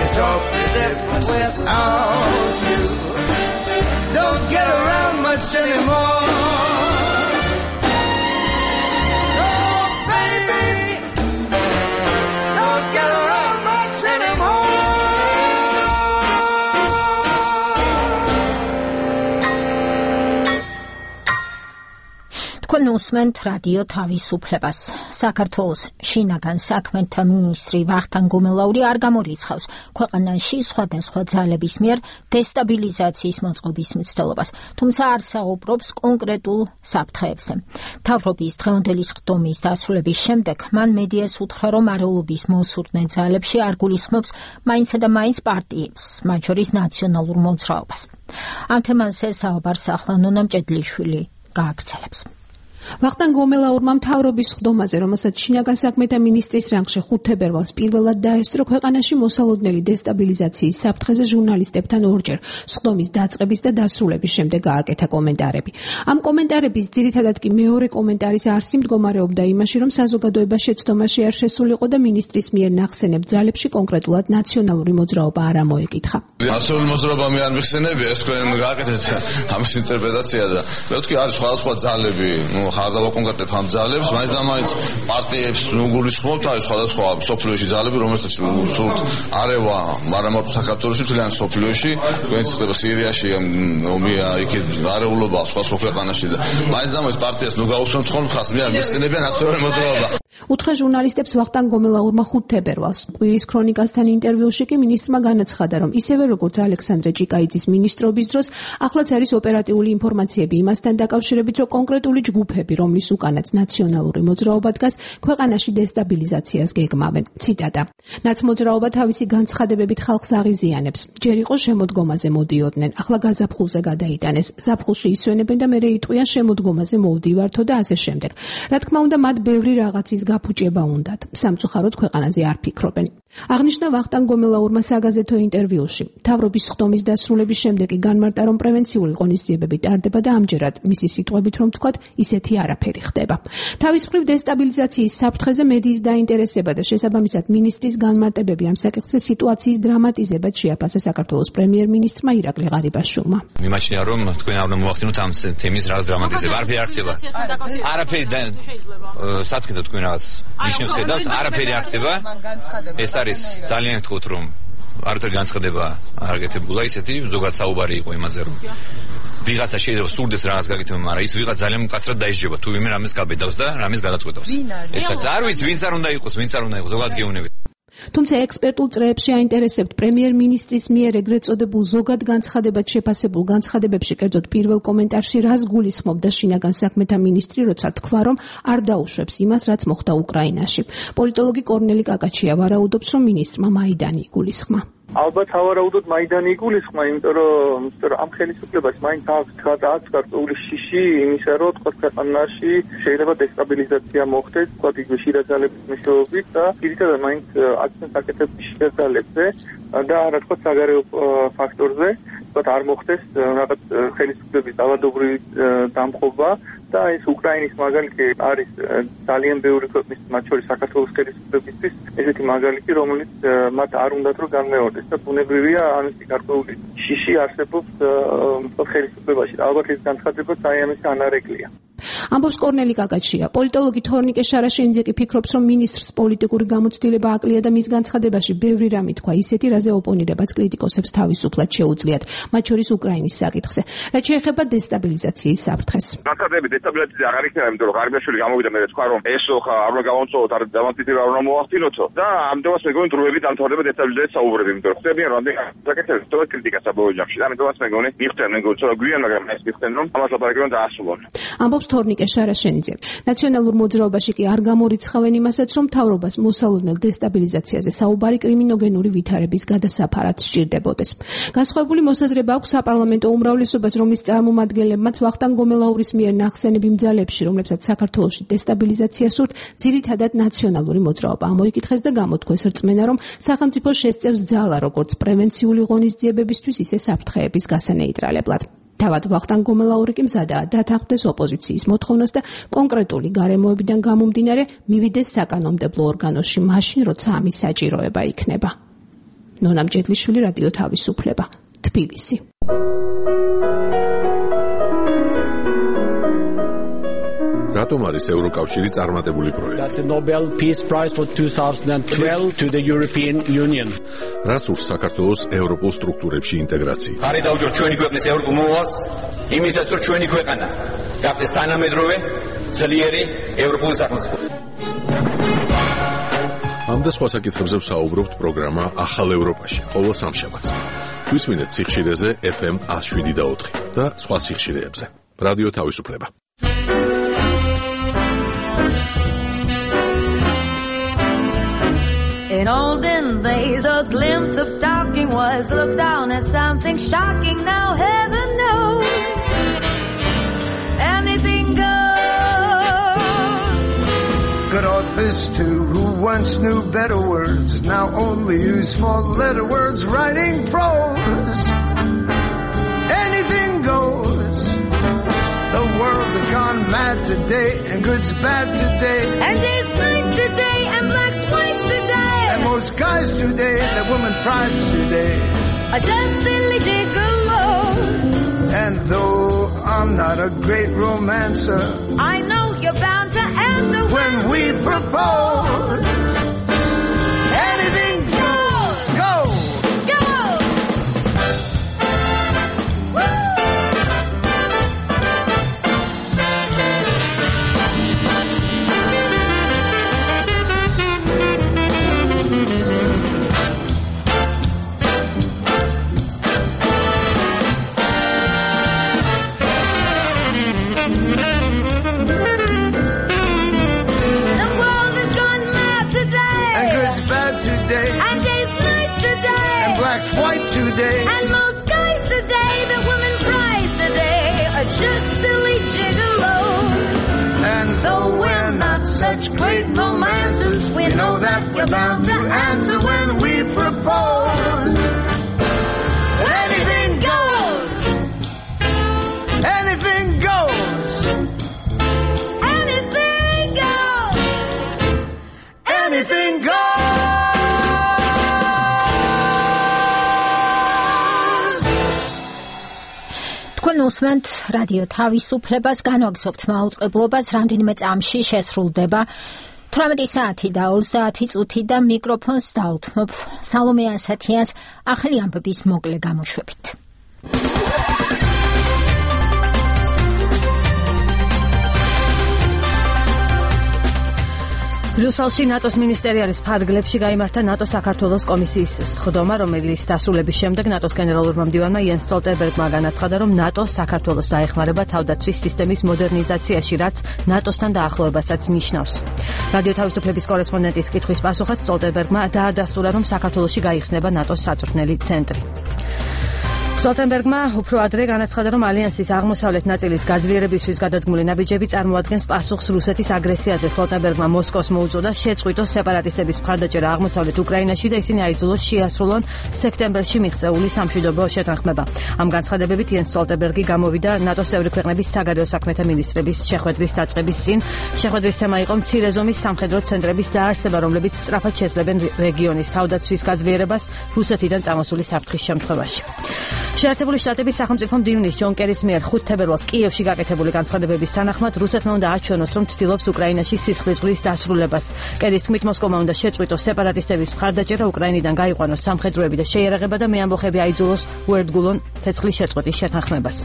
It's awfully different without you. Don't get around much anymore. Oh, baby, don't get around much anymore. თქვენ უსმენთ რადიო თავისუფლებას. საქართველოს შინაგან საქმეთა მინისტრი ვახტანგ გუმელაური არ გამორიცხავს ქვეყანაში სხვადასხვა ძალების მიერ დესტაბილიზაციის მოწყობის მცდელობას, თუმცა არ საუბრობს კონკრეტულ საფრთხეებზე. მთავრობის დღევანდელი სხდომის დასრულების შემდეგ მან მედიას უთხრა, რომ არეულობის მოსურნე ძალებში არ გულისხმობს მაინცსა და მაინც პარტიებს, მათ შორის ნაციონალურ მოძრაობას. ამ თემაზე საუბარს ახლა ნონა მჭედლიშვილი გააგრძელებს. ვახტანგ გომელაურმა მთავრობის სხდომაზე, რომელსაც შინაგან საქმეთა მინისტრის რანგში 5 თებერვალს პირველად დაესწრო, ქვეყანაში მოსალოდნელი დესტაბილიზაციის საფრთხეზე ჟურნალისტებთან ორჯერ სხდომის დაწყების და დასრულების შემდეგ გააკეთა კომენტარები. ამ კომენტარების ძირითადად კი მეორე კომენტარის არსი მდგომარეობდა იმაში, რომ საზოგადოება შეცდომაში არ შესულიყო და მინისტრის მიერ ნახსენებ ძალებში კონკრეტულად ნაციონალური მოძრაობა არ ამოეკითხა. ნაციონალური მოძრაობა მე არ მიხსენებია, ეს თქვენ გააკეთეთ ამის ინტერპრეტაცია და მეთქი არის სხვადასხვა ძალები, ხარ დავაკონკრეტებ ამ ძალებს, მაინც და მაინც პარტიებს გულისხმობთ არის სხვადასხვა სოფლიოში ძალები, რომელსაც სულთ არევა, მაგრამ მარტო საქართველოში, მთლიან სოფლიოში, თქვენც ხდება სირიაში, ომია, იქ არეულობა სხვა ქვეყანაში და მაინც და მაინც პარტიას ნუ გაუსვამთ ხოლმე ხას, მე არ მიხსენებია ნაციონალური მოძრაობა. უთხრა ჟურნალისტებს ვახტანგ გომელაურმა 5 თებერვალს. კვირის ქრონიკასთან ინტერვიუში კი მინისტრმა განაცხადა, რომ ისევე როგორც ალექსანდრე ჭიკაიძის მინისტრობის დროს, ახლაც არის ოპერატიული ინფორმაციები იმასთან დაკავშირებით, რომ კონკრეტული ჯგუფები, რომლის უკანაც ნაციონალური მოძრაობა დგას, ქვეყანაში დესტაბილიზაციას გეგმავენ. ციტატა: ნაცმოძრაობა თავისი განცხადებებით ხალხს აღიზიანებს. ჯერ იყო შემოდგომაზე მოდიოდნენ, ახლა გაზაფხულზე გადაიტანეს. ზაფხულში ისვენებენ და მერე იტყვიან შემოდგომაზე მოვდივართო და ასე შემდეგ. რა თქმა უნდა, მათ ბევრი რაღაცის გაფუჭება უნდათ. სამწუხაროდ ქვეყანაზე არ ფიქრობენ. აღნიშნა ვახტანგ გომელაურმა საგაზეთო ინტერვიუში. მთავრობის ხდომის დასრულების შემდეგ კი განმარტა, რომ პრევენციული ღონისძიებები ტარდება და ამჯერად მისი სიტყვებით რომ ვთქვათ, ისეთი არაფერი ხდება. თავის მხრივ დესტაბილიზაციის საფრთხეზე მედიის დაინტერესება და შესაბამისად მინისტრის განმარტებები ამ საკითხზე სიტუაციის დრამატიზებად შეაფასა საქართველოს პრემიერ-მინისტრმა ირაკლი ღარიბაშვილმა. მიმაჩნია, რომ თქვენ არ უნდა მოახდინოთ ამ თემის რაღაც დრამატიზება. არაფერი არ ხდება. არაფერი სათქედა თქვენ რაღაც ნიშნებს ხედავთ, არაფერი არ ხდება. ეს არის ძალიან გთხოვთ, რომ არათერ განცხადება არ გაკეთებულა ისეთი ზოგადად საუბარი იყო იმაზე, რომ ვიღაცა შეიძლება სურდეს რაღაც გაკეთება, მაგრამ ის ვიღაც ძალიან მკაცრად დაიჯება თუ ვინმე რამეს გაბედავს და რამეს გადაწყვეტავს. ეს არ ვიცი, ვინც არ უნდა იყოს, ზოგადად გეუბნებით. თუმცა ექსპერტულ წრეებში აინტერესებთ პრემიერ-მინისტრის მიერ ეგრეთ წოდებულ ზოგად განცხადებად შეფასებულ განცხადებებში, კერძოდ პირველ კომენტარში რას გულისხმობდა შინაგან საქმეთა მინისტრი, როცა თქვა, რომ არ დაუშვებს იმას, რაც მოხდა უკრაინაში. პოლიტოლოგი კორნელი კაკაჩია ვარაუდობს, რომ მინისტრმა მაიდანი იგულისხმა. ალბათ ავარაუდოდ მაიდანი იგულისხმა, იმიტომ რომ ამ ხელისუფლებას მაინც აქვს გარკვეული შიში იმისა, რომ თქვა ქვეყანაში შეიძლება დესტაბილიზაცია მოხდეს, თქვა იგივე შიდაძალების მეშვეობით და პირდაპირ მაინც აქცენტს აკეთებს შიდაძალებზე და რა თქვა საგარეო ფაქტორზე, თქვა არ მოხდეს რაღაც ხელისუფლების დავადობრივი დამხობა და ეს უკრაინის მაგალითი არის ძალიან ბევრი ქვეყნის, მათ შორის საქართველოს ხელისუფლებისთვის ესეთი მაგალითი, რომელიც მათ არ უნდათ რომ განმეორდეს და ბუნებრივია ამისი გარკვეული შიში არსებობს ხელისუფლებაში. ალბათ ეს განცხადება საერთოდ ანარეკლია. ამბობს კორნელი კაკაჩია. პოლიტოლოგი თორნიკე შარაშენიძე კი ფიქრობს, რომ მინისტრს პოლიტიკური გამოცდილება აკლია და მის განცხადებაში ბევრი რამ ითქვა ისეთი, რაზე ოპონირებაც კრიტიკოსებს თავისუფლად შეუძლიათ, მათ შორის უკრაინის საკითხზე. რაც შეეხება დესტაბილიზაციის საფრთხეს. განცხადები დესტაბილიზაცია აღარ იქნება, იმიტომ რომ ღარიბაშვილი გამოვიდა მე თქვა, რომ ესო ხა არ უნდა გავამწოვოთ, არ დამატებითი არ უნდა მოახდინოთო და ამდენს მეგონი დროებით დამთავრდება დესტაბილიზაციის საუბრები, იმიტომ რომ ხდებიან რამდენი საკითხები, თორე კრიტიკა საბოლოო ჯამში. და ამიტომაც მეგონი მიხდნენ, მეგონი ცოტა გვიან, მაგრამ ეს მიხდნენ, რომ ამას ლაპარაკი უნდა დაასრულონ. ამბობს თორნიკე შარაშენიძე. ნაციონალურ მოძრაობაში კი არ გამორიცხავენ იმასაც, რომ მთავრობას მოსალოდნელ დესტაბილიზაციაზე საუბარი კრიმინოგენური ვითარების გადასაფარად სჭირდებოდეს. განსხვავებული მოსაზრება აქვს საპარლამენტო უმრავლესობას, რომლის წარმომადგენლებმაც ვახტანგ გომელაურის მიერ ნახსენები მძალებში, რომლებსაც საქართველოში დესტაბილიზაცია სურთ, ძირითადად ნაციონალური მოძრაობა ამოიკითხეს და გამოთქვეს რწმენა, რომ სახელმწიფო შესწევს ძალა როგორც პრევენციული ღონისძიებებისთვის, ისე საფრთხეების გასანეიტრალებლად. თავად ვახტანგ გომელაური კი მზადაა დათანხმდეს ოპოზიციის მოთხოვნას და კონკრეტული გარემოებიდან გამომდინარე მივიდეს საკანონმდებლო ორგანოში მაშინ, როცა ამის საჭიროება იქნება. ნონა მჭედლიშვილი, რადიო თავისუფლება, თბილისი. რატომ არის ევროკავშირი წარმატებული პროექტი? The Nobel Peace Prize for 2012 to the European Union. რას ურს საქართველოს ევროპულ სტრუქტურებში ინტეგრაცია? ხარი დაუჭიროთ ჩვენი ქვეყნის ევროპულ მომავალს, იმისაც რომ ჩვენი ქვეყანა გახდეს თანამედროვე, ძლიერი ევროპული სახელმწიფო. ამ და სხვა საკითხებზე ვსაუბრობთ პროგრამა ახალ ევროპაში, ყოველ სამშაბათს. გვისმინეთ სიხშირეზე FM 107.4 და სხვა სიხშირეებზე. რადიო თავისუფლება. In olden days, a glimpse of stalking was looked down as something shocking. Now heaven knows anything goes. Good authors too, who once knew better words, now only use four-letter words writing prose. Anything goes. The world has gone mad today, and good's bad today, and day's night today, and black's white today. And most guys today, that woman prize today, are just silly gigolos. And though I'm not a great romancer, I know you're bound to answer when we propose. Anything goes, go, go. White today, and most guys today, the women prize today, are just silly gigolos. And though we're not such great romancers, we know that we're bound to answer when propose. Anything goes. Anything goes. Anything goes. Anything goes. თქვენ უსმენთ რადიო თავისუფლებას, განვაგზავნებთ მაუწყებლობას, რამდენიმე წამში შესრულდება 18 საათი და 30 წუთი და მიკროფონს დაუთმობ სალომე ასათიანს ახალი ამბების მოკლე გამოშვებით. ბრიუსელში ნატოს მინისტერიალის ფარგლებში გაიმართა ნატოს საქართველოს კომისიის სხდომა, რომელიც დასრულების შემდეგ ნატოს გენერალურმა მდივანმა იენს სტოლტენბერგმა განაცხადა, რომ ნატო საქართველოს დაეხმარება თავდაცვის სისტემის მოდერნიზაციაში, რაც ნატოსთან დაახლოებასაც ნიშნავს. რადიო თავისუფლების კორესპონდენტის კითხვის პასუხად სტოლტენბერგმა დაადასტურა, რომ საქართველოში გაიხსნება ნატოს საწვრთნელი ცენტრი. სტოლტენბერგმა უფრო ადრე განაცხადა, რომ ალიანსის აღმოსავლეთ ნაწილის გაძლიერებისთვის გადადგმული ნაბიჯები წარმოადგენს პასუხს რუსეთის აგრესიაზე. სტოლტენბერგმა მოსკოვს მოუწოდა შეწყვიტოს სეპარატისტების მხარდაჭერა აღმოსავლეთ უკრაინაში და ისინი აიძულოს შეასრულონ სექტემბერში მიღწეული სამშვიდობო შეთანხმება. ამ განცხადებებით იენს სტოლტენბერგი გამოვიდა ნატოს წევრი ქვეყნების საგარეო საქმეთა მინისტრების შეხვედრის დაწყების წინ. შეხვედრის თემა იყო მცირე ზომის სამხედრო ცენტრების დაარსება, რომლებიც სწრაფად შეძლებენ რეგიონის თავდაცვის გაძლიერებას რუსეთიდან წამოსული საფრთხის შემთხვევაში. შეერთებული შტატების სახელმწიფო მდივნის ჯონ კერის მიერ 5 თებერვალს კიევში გაკეთებული განცხადებების თანახმად რუსეთმა უნდა აჩვენოს, რომ ცდილობს უკრაინაში სისხლისღვრიის დასრულებას. კერის თქმით, მოსკოვმა უნდა შეწყვიტოს სეპარატისტების მხარდაჭერა, უკრაინიდან გაიყვანოს სამხედროები და შეიარაღება და მეამბოხები აიძულოს უერთგულონ ცეცხლის შეწყვეტის შეთანხმებას.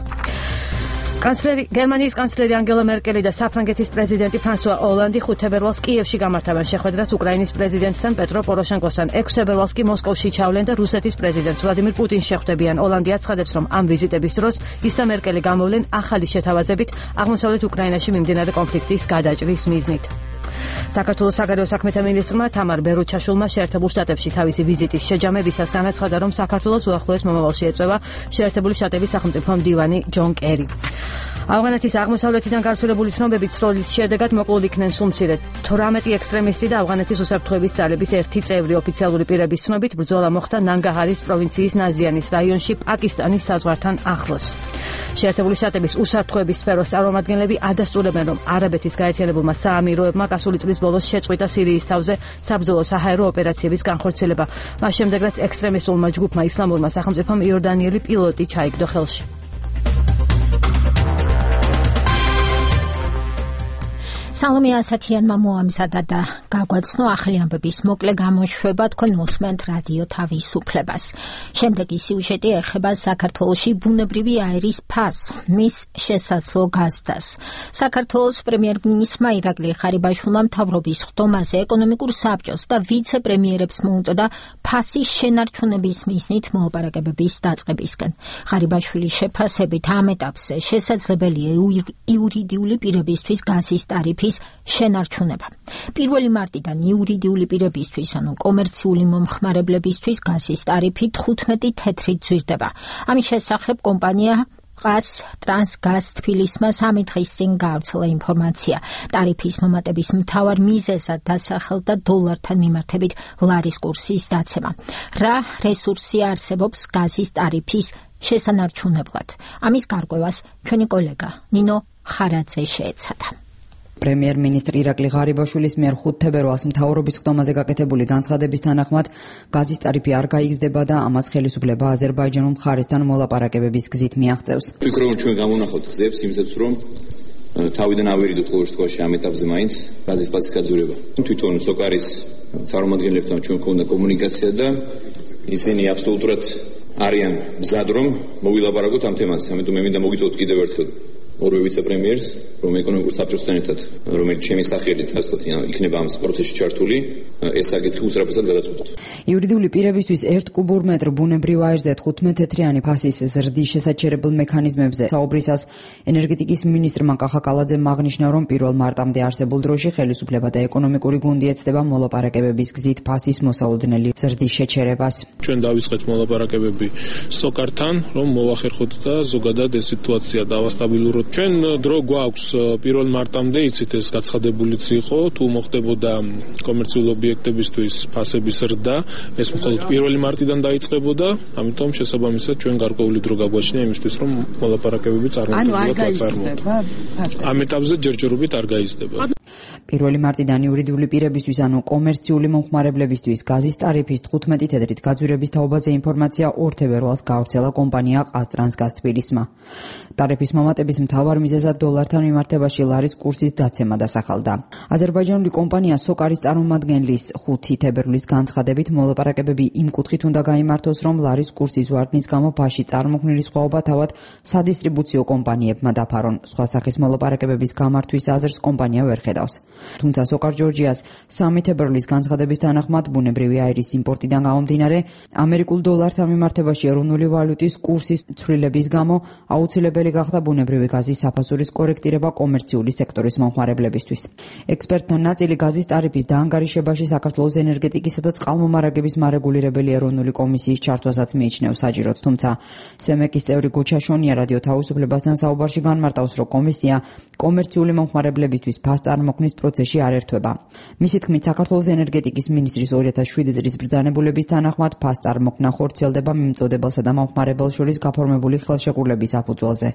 გერმანიის კანცლერი ანგელა მერკელი და საფრანგეთის პრეზიდენტი ფრანსუა ოლანდი 5 თებერვალს კიევში გამართავენ შეხვედრას უკრაინის პრეზიდენტთან პეტრო პოროშენკოსთან. 6 თებერვალს კი მოსკოვში ჩავლენ და რუსეთის პრეზიდენტს ვლადიმირ პუტინს შეხვდებიან. ოლანდი აცხადებს, რომ ამ ვიზიტების დროს ის და მერკელი გამოვლენ ახალი შეთავაზებით აღმოსავლეთ უკრაინაში მიმდინარე კონფლიქტის გადაჭრის მიზნით. საქართველოს საგარეო საქმეთა მინისტრმა თამარ ბერუჩაშვილმა შეერთებულ შტატებში თავისი ვიზიტის შეჯამებისას განაცხადა, რომ საქართველოს უახლოეს მომავალში ეწევა შეერთებული შტატების სახელმწიფო მდივანი ჯონ კერი. ავღანეთის აღმოსავლეთიდან გავრცელებული ცნობებით სროლის შედეგად მოკლულ იქნენ სულ მცირე 18 ექსტრემისტი და ავღანეთის უსაფრთხოების ძალების ერთი წევრი. ოფიციალური პირების ცნობით ბრძოლა მოხდა ნანგაჰარის პროვინციის ნაზიანის რაიონში პაკისტანის საზღვართან ახლოს. შეერთებული შტატების უსაფრთხოების სფეროს წარმომადგენლები ადასტურებენ, რომ არაბეთის გაერთიანებულმა საამიროებმა გასული წლის ბოლოს შეწყვიტა სირიის თავზე საბრძოლო საჰაერო ოპერაციების განხორციელება. მას შემდეგ, რაც ექსტრემისტულმა ჯგუფმა ისლამურმა სახელმწიფომ იორდანიელი პილოტი ჩაიგდო ხელში. სალომე ასათიანმა მოამზადა და გაგვაცნო ახალი ამბების მოკლე გამოშვება. თქვენ უსმენთ რადიო თავისუფლებას. შემდეგი სიუჟეტი ეხება საქართველოში ბუნებრივი აირის ფასს, მის შესაძლო გაზდას. საქართველოს პრემიერ-მინისტრმა ირაკლი ღარიბაშვილმა მთავრობის ხდომაზე ეკონომიკურ საბჭოს და ვიცე-პრემიერებს მოუწოდა ფასის შენარჩუნების მიზნით მოლაპარაკებების დაწყებისკენ. ღარიბაშვილის შეფასებით ამ ეტაპზე შესაძლებელია იურიდიული პირებისთვის გაზის ტარიფი შენარჩუნება. 1 მარტიდან იურიდიული პირებისთვის, ანუ კომერციული მომხმარებლებისთვის გაზის ტარიფი 15 თეთრით ძვირდება. ამის შესახებ კომპანია ყას ტრანსგაზ თბილისმა 3 დღის წინ გაავრცელა ინფორმაცია. ტარიფის მომატების მთავარ მიზეზად დასახელდა დოლართან მიმართებით ლარის კურსის დაცემა. რა რესურსი არსებობს გაზის ტარიფის შესანარჩუნებლად? ამის გარკვევას ჩვენი კოლეგა ნინო ხარაძე შეეცადა. პრემიერ-მინისტრი ირაკლი ღარიბაშვილის მიერ 5 თებერვალს მთავრობის ხდომაზე გაკეთებული განცხადების თანახმად გაზის ტარიფი არ გაიგზდება და ამას ხელისუფლება აზერბაიჯანულ მხარესთან მოლაპარაკებების გზით მიაღწევს. ვფიქრობ, რომ ჩვენ გამონახავთ გზებს იმისათვის, რომ თავიდან ავერიდოთ ყოველ შემთხვევაში ამ ეტაპზე მაინც გაზის პასის გაძვირება. თვითონ სოკარის წარმომადგენლებთან ჩვენ გვქონდა კომუნიკაცია და ისინი აბსოლუტურად არიან მზად, რომ მოვილაპარაკოთ ამ თემაზე. ამიტომ მე მინდა მოგიწოდოთ კიდევ ერთხელ ორივე ვიცე-პრემიერს, რომ ეკონომიკურ საბჭოსთან ერთად, რომელიც ჩემი სახელით ასე ვთქვათ, იქნება ამ პროცესში ჩართული, ეს საკითხი უსწრაფად გადაწყვეტოთ. იურიდიული პირებისთვის 1 კუბურ მეტრ ბუნებრივ აირზე 15 თეთრიანი ფასის ზრდის შესაჩერებელ მექანიზმებზე საუბრისას ენერგეტიკის მინისტრმა კახა კალაძემ აღნიშნა, რომ 1 მარტამდე არსებულ დროში ხელისუფლება და ეკონომიკური გუნდი ეცდება მოლაპარაკებების გზით ფასის მოსალოდნელი ზრდის შეჩერებას. ჩვენ დავიწყეთ მოლაპარაკებები სოკართან, რომ მოვახერხოთ და ზოგადად ეს სიტუაცია დავასტაბილუროთ. ჩვენ დრო გვაქვს 1 მარტამდე იცით ეს გაცხადებულიც იყო, თუ მოხდებოდა კომერციულ ობიექტებისთვის ფასების ზრდა, ეს მხოლოდ 1 მარტიდან დაიწყებოდა, ამიტომ შესაბამისად ჩვენ გარკვეული დრო გაგვაჩნია იმისთვის, რომ მოლაპარაკებები წარმოუდგენლად ამ ეტაპზე ჯერჯერობით არ გაიზრდება. 1 მარტიდან იურიდიული პირებისთვის, ანუ კომერციული მომხმარებლებისთვის გაზის ტარიფის 15 თედრით გაძვირების თაობაზე ინფორმაცია 2 თებერვალს გავრცელა კომპანია ყაზტრანსგაზ თბილისმა. ტარიფის მომატების მთავარ მიზეზად დოლართან მიმართებაში ლარის კურსის დაცემა დასახელდა. აზერბაიჯანული კომპანია სოკარის წარმომადგენლის 5 თებერვლის განცხადებით მოლაპარაკებები იმ კუთხით უნდა გაიმართოს, რომ ლარის კურსის ვარდნის გამო ბაში წარმოქმნილი სხვაობა თავად სადისტრიბუციო კომპანიებმა დაფარონ. სხვა სახის მოლაპარაკებების გამართვის აზრს კომპანია ვერ ხედავს. თუმცა სოკარ ჯორჯიას 3 თებერვლის განცხადების თანახმად ბუნებრივი აირის იმპორტიდან გამომდინარე, ამერიკულ დოლართან მიმართებაში ეროვნული ვალუტის კურსის ცვლილების გამო აუცილებელი გახდა ბუნებრივი გაზის საფასურის კორექტირება კომერციული სექტორის მომხმარებლებისთვის. ექსპერტთა ნაწილი გაზის ტარიფის დაანგარიშებაში საქართველოს ენერგეტიკისა და წყალმომარაგების მარეგულირებელი ეროვნული კომისიის ჩართვასაც მიიჩნევს საჭიროდ, თუმცა სემეკის წევრი გოჩაშონია რადიო თავისუფლებასთან საუბარში განმარტავს, რომ კომისია კომერციული მომხმარებლებისთვის ფას წარმოქმნის პროცესში არ ერთვება. მისი თქმით, საქართველოს ენერგეტიკის მინისტრის 2007 წლის ბრძანებულების თანახმად ფას წარმოქმნა ხორციელდება მიმწოდებელსა და მომხმარებელს შორის გაფორმებული ხელშეკრულების საფუძველზე.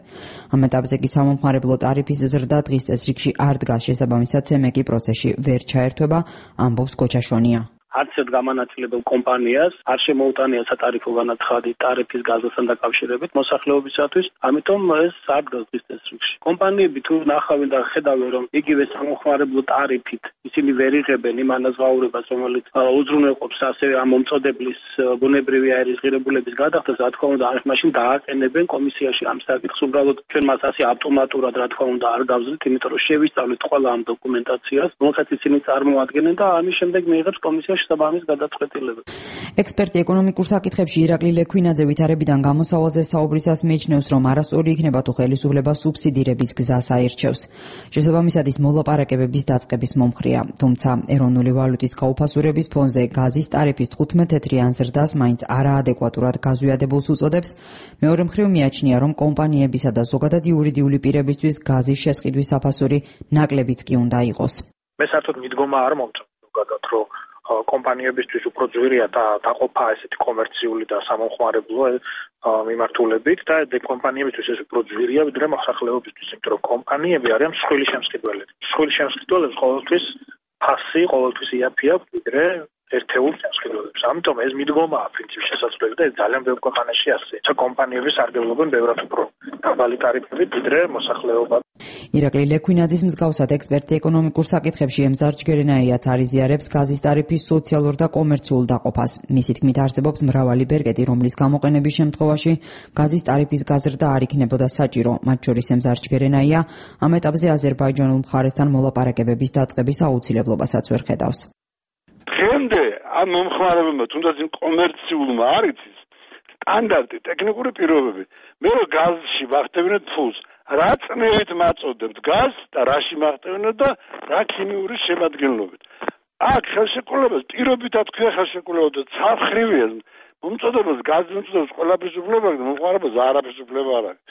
ამ ეტაპზე კი სამომხმარებლო ტარიფის ზრდა დღის წესრიგში არ დგას, შესაბამისად სემეკი პროცესში ვერ ჩაერთვება, ამბობს გოჩაშონია. არც ერთ გამანაწილებელ კომპანიას არ შემოუტანია სატარიფო განაცხადი ტარიფის გაზასთან დაკავშირებით მოსახლეობისათვის, ამიტომ ეს არ დგას დღის წესრიგში. კომპანიები თუ ნახავენ და ხედავენ, რომ იგივე სამომხმარებლო ტარიფით ისინი ვერ იღებენ იმ ანაზღაურებას, რომელიც უზრუნველყოფს ასევე ამ მომწოდებლის ბუნებრივი აირის ღირებულების გადახდას, რა თქმა უნდა, მაშინ დააყენებენ კომისიაში ამ საკითხს. უბრალოდ ჩვენ მას ასე ავტომატურად, რა თქმა უნდა, არ გავზრდით, იმიტომ რომ შევისწავლეთ ყველა ამ დოკუმენტაციას, რომელსაც ისინი წარმოადგენენ და ამის შემდეგ მიიღებს კომისიაში საბამის გადაწყვეტილება. ექსპერტი ეკონომიკურ საკითხებში ირაკლი ლექვინაძე ვითარებიდან გამოსავალზე საუბრისას მიიჩნევს, რომ არასწორი იქნება თუ ხელისუფლება სუბსიდირების გზას აირჩევს. შესაბამისად ის მოლაპარაკებების დაწყების მომხრეა, თუმცა ეროვნული ვალუტის გაუფასურების ფონზე გაზის ტარიფის 15 თეთრიან ზრდას მაინც არაადეკვატურად გაზვიადებულს უწოდებს. მეორე მხრივ მიაჩნია, რომ კომპანიებისა და ზოგადად იურიდიული პირებისთვის გაზის შესყიდვის საფასური ნაკლებიც კი უნდა იყოს. მე საერთოდ მიდგომა არ მომწონს ზოგადად, რომ კომპანიებისთვის უფრო ძვირია დაყოფა ესეთი კომერციული და სამომხმარებლო მიმართულებით და კომპანიებისთვის ეს უფრო ძვირია ვიდრე მოსახლეობისთვის, იმიტომ რომ კომპანიები არიან მსხვილი შემსყიდველები. მსხვილი შემსყიდველებს ყოველთვის ფასი, ყოველთვის იაფი აქვს ვიდრე ერთეულ შემსყიდველებს. ამიტომ ეს მიდგომაა პრინციპში შესაძლებელი და ეს ძალიან ბევრ ქვეყანაში ასე. კომპანიები სარგებლობენ ბევრად უფრო დაბალი ტარიფებით ვიდრე მოსახლეობა. ირაკლი ლექვინაძის მსგავსად ექსპერტი ეკონომიკურ საკითხებში ემზარ ჯგერენაიაც არიზიარებს გაზის ტარიფის სოციალურ და კომერციულ დაყოფას. მისი თქმით, არსებობს მრავალი ბერკეტი, რომლის გამოყენების შემთხვევაში გაზის ტარიფის გაზრდა არ იქნებოდა საჭირო. მათ შორის ემზარ ჯგერენაია ამ ეტაპზე აზერბაიჯანულ მხარესთან მოლაპარაკებების დაწყების აუცილებლობასაც ვერ ხედავს. დღემდე ამ მომხმარებელმა თუნდაც იმ კომერციულმა არ იცის სტანდარტი ტექნიკური პირობები. მე რომ გაზში ვახტევინოთ ფულს, რა წნევით მაწოდებთ გაზს და რაში მახტევინოთ და რა ქიმიური შემადგენლობით. აქ ხელშეკრულებას პირობით ათქვია ხელშეკრულება და ცალხრივია. მომწოდებას გაზს მომწოდებს ყველაფრის უფლება და მომხმარებელს არაფრის უფლება არ აქვს.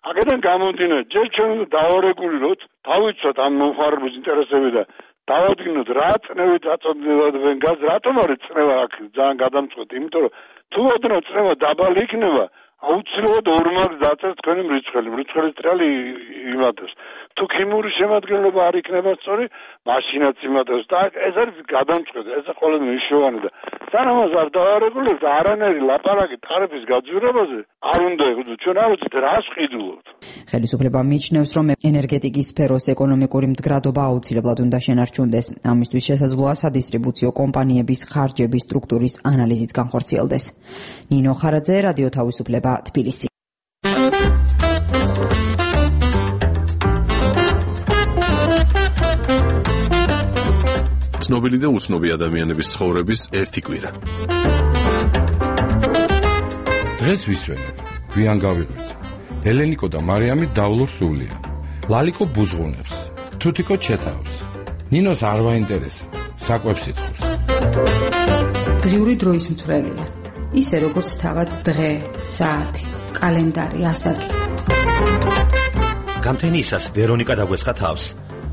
აქედან გამომდინარე, ჯერ ჩვენ უნდა დავარეგულიროთ, დავიცვათ ამ მომხმარებლის ინტერესები და დავადგინოთ რა წნევით აწოდებენ გაზს, რატომ არის წნევა აქ ძალიან გადამწყვეტი, იმიტომ რომ თუ ოდნავ წნევა დაბალი იქნება, აუცილებლად ორმაგს დაწერთ თქვენი მრიცხველის ტრიალი იმატებს. თუ ქიმიური შემადგენლობა არ იქნება სწორი, მაშინაც იმატებს და ეს არის გადამწყვეტი, ეს ყოველდღე მნიშვნელოვანი და სანამ არ დავარეგულირებთ, არანაირი ლაპარაკი ტარიფის გაძვირებაზე არ უნდა იყოს, ჩვენ არ ვიცით რას ყიდულობთ. ხელისუფლება მიიჩნევს, რომ ენერგეტიკის სფეროს ეკონომიკური მდგრადობა აუცილებლად უნდა შენარჩუნდეს. ამისთვის შესაძლოა სადისტრიბუციო კომპანიების ხარჯების სტრუქტურის ანალიზიც განხორციელდეს. ნინო ხარაძე, რადიო თავისუფლება, თბილისი. ცნობილი და უცნობი ადამიანების ცხოვრების ერთი კვირა. დღეს ვისვენებ, გვიან გავიღვით. ელენიკო და მარიამი დავლურ სულია. ლალიკო ბუზღუნებს, თუთიკო ჩეთავს. ნინოს არ ვაინტერესებს, საკვებს ითხოვს. დღიური დროის მთვრელია. ისე როგორც თავად დღე, საათი, კალენდარი, ასაკი. გამთენიისას ვერონიკა დაგვეცხა თავს.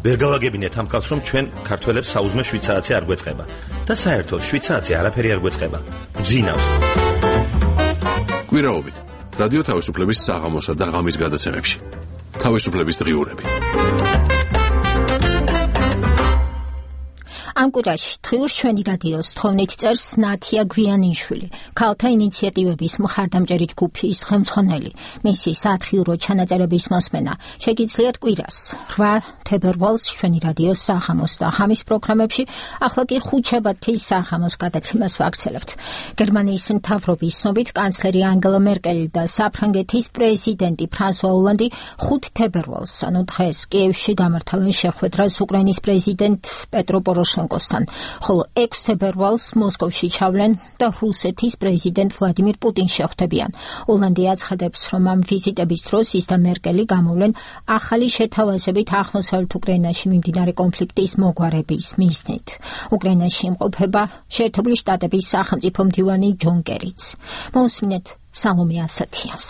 ვერ გავაგებინეთ ამ კაცს, რომ ჩვენ ქართველებს საუზმე შვიცააცი არ გვეწყება და საერთოდ შვიცააცი არაფერი არ გვეწყება. გძინავს. კვირაობით რადიო თავისუფლების საღამოსა და ღამის გადაცემებში. თავისუფლების დღიურები. ამ კვირაში დღიურს ჩვენი რადიოს თხოვნით წერს ნათია გვიანიშვილი, ქალთა ინიციატივების მხარდამჭერი ჯგუფის ხელმძღვანელი. მისი სათხიურო ჩანაწერების მოსმენა შეგიძლიათ კვირას 8 თებერვალს ჩვენი რადიოს საღამოს და ღამის პროგრამებში, ახლა კი ხუთშაბათის საღამოს გადაცემას ვაგრძელებთ. გერმანიის მთავრობის ცნობით კანცლერი ანგელა მერკელი და საფრანგეთის პრეზიდენტი ფრანსუა ოლანდი 5 თებერვალს, ანუ დღეს კიევში გამართავენ შეხვედრას უკრაინის პრეზიდენტ პეტრო პოროშენკოსთან, ხოლო 6 თებერვალს მოსკოვში ჩავლენ და რუსეთის პრეზიდენტ ვლადიმირ პუტინს შეხვდებიან. ოლანდი აცხადებს, რომ ამ ვიზიტების დროს ის და მერკელი გამოვლენ ახალი შეთავაზებით აღმოსავლეთ უკრაინაში მიმდინარე კონფლიქტის მოგვარების მიზნით. უკრაინაში იმყოფება შეერთებული შტატების სახელმწიფო მდივანი ჯონ კერიც. მოусმინეთ სალომე ასათიანს.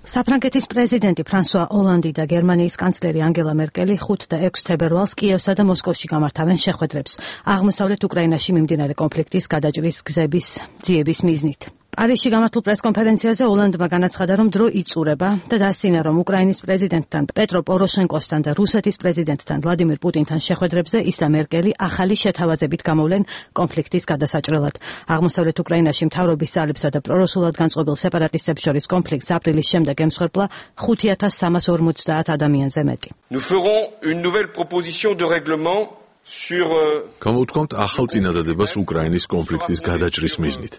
საფრანგეთის პრეზიდენტი ფრანსუა ოლანდი და გერმანიის კანცლერი ანგელა მერკელი 5 და 6 თებერვალს კიევსა და მოსკოვში გამართავენ შეხვედრებს აღმოსავლეთ უკრაინაში მიმდინარე კონფლიქტის გადაჭრის გზების ძიების მიზნით. პარიზში გამართულ პრესკონფერენციაზე ოლანდმა განაცხადა, რომ დრო იწურება და დასცინა, რომ უკრაინის პრეზიდენტთან პეტრო პოროშენკოსთან და რუსეთის პრეზიდენტთან ვლადიმირ პუტინთან შეხვედრებზე ის და მერკელი ახალი შეთავაზებით გამოვლენ კონფლიქტის გადასაჭრელად. აღმოსავლეთ უკრაინაში მთავრობის ძალებსა და პრორუსულად განწყობილ სეპარატისტებს შორის კონფლიქტს აპრილის შემდეგ ემსხვერპლა 5350 ადამიანზე მეტი. Nous ferons une nouvelle proposition de règlement გამოვთქვამთ ახალ წინადადებას უკრაინის კონფლიქტის გადაჭრის მიზნით,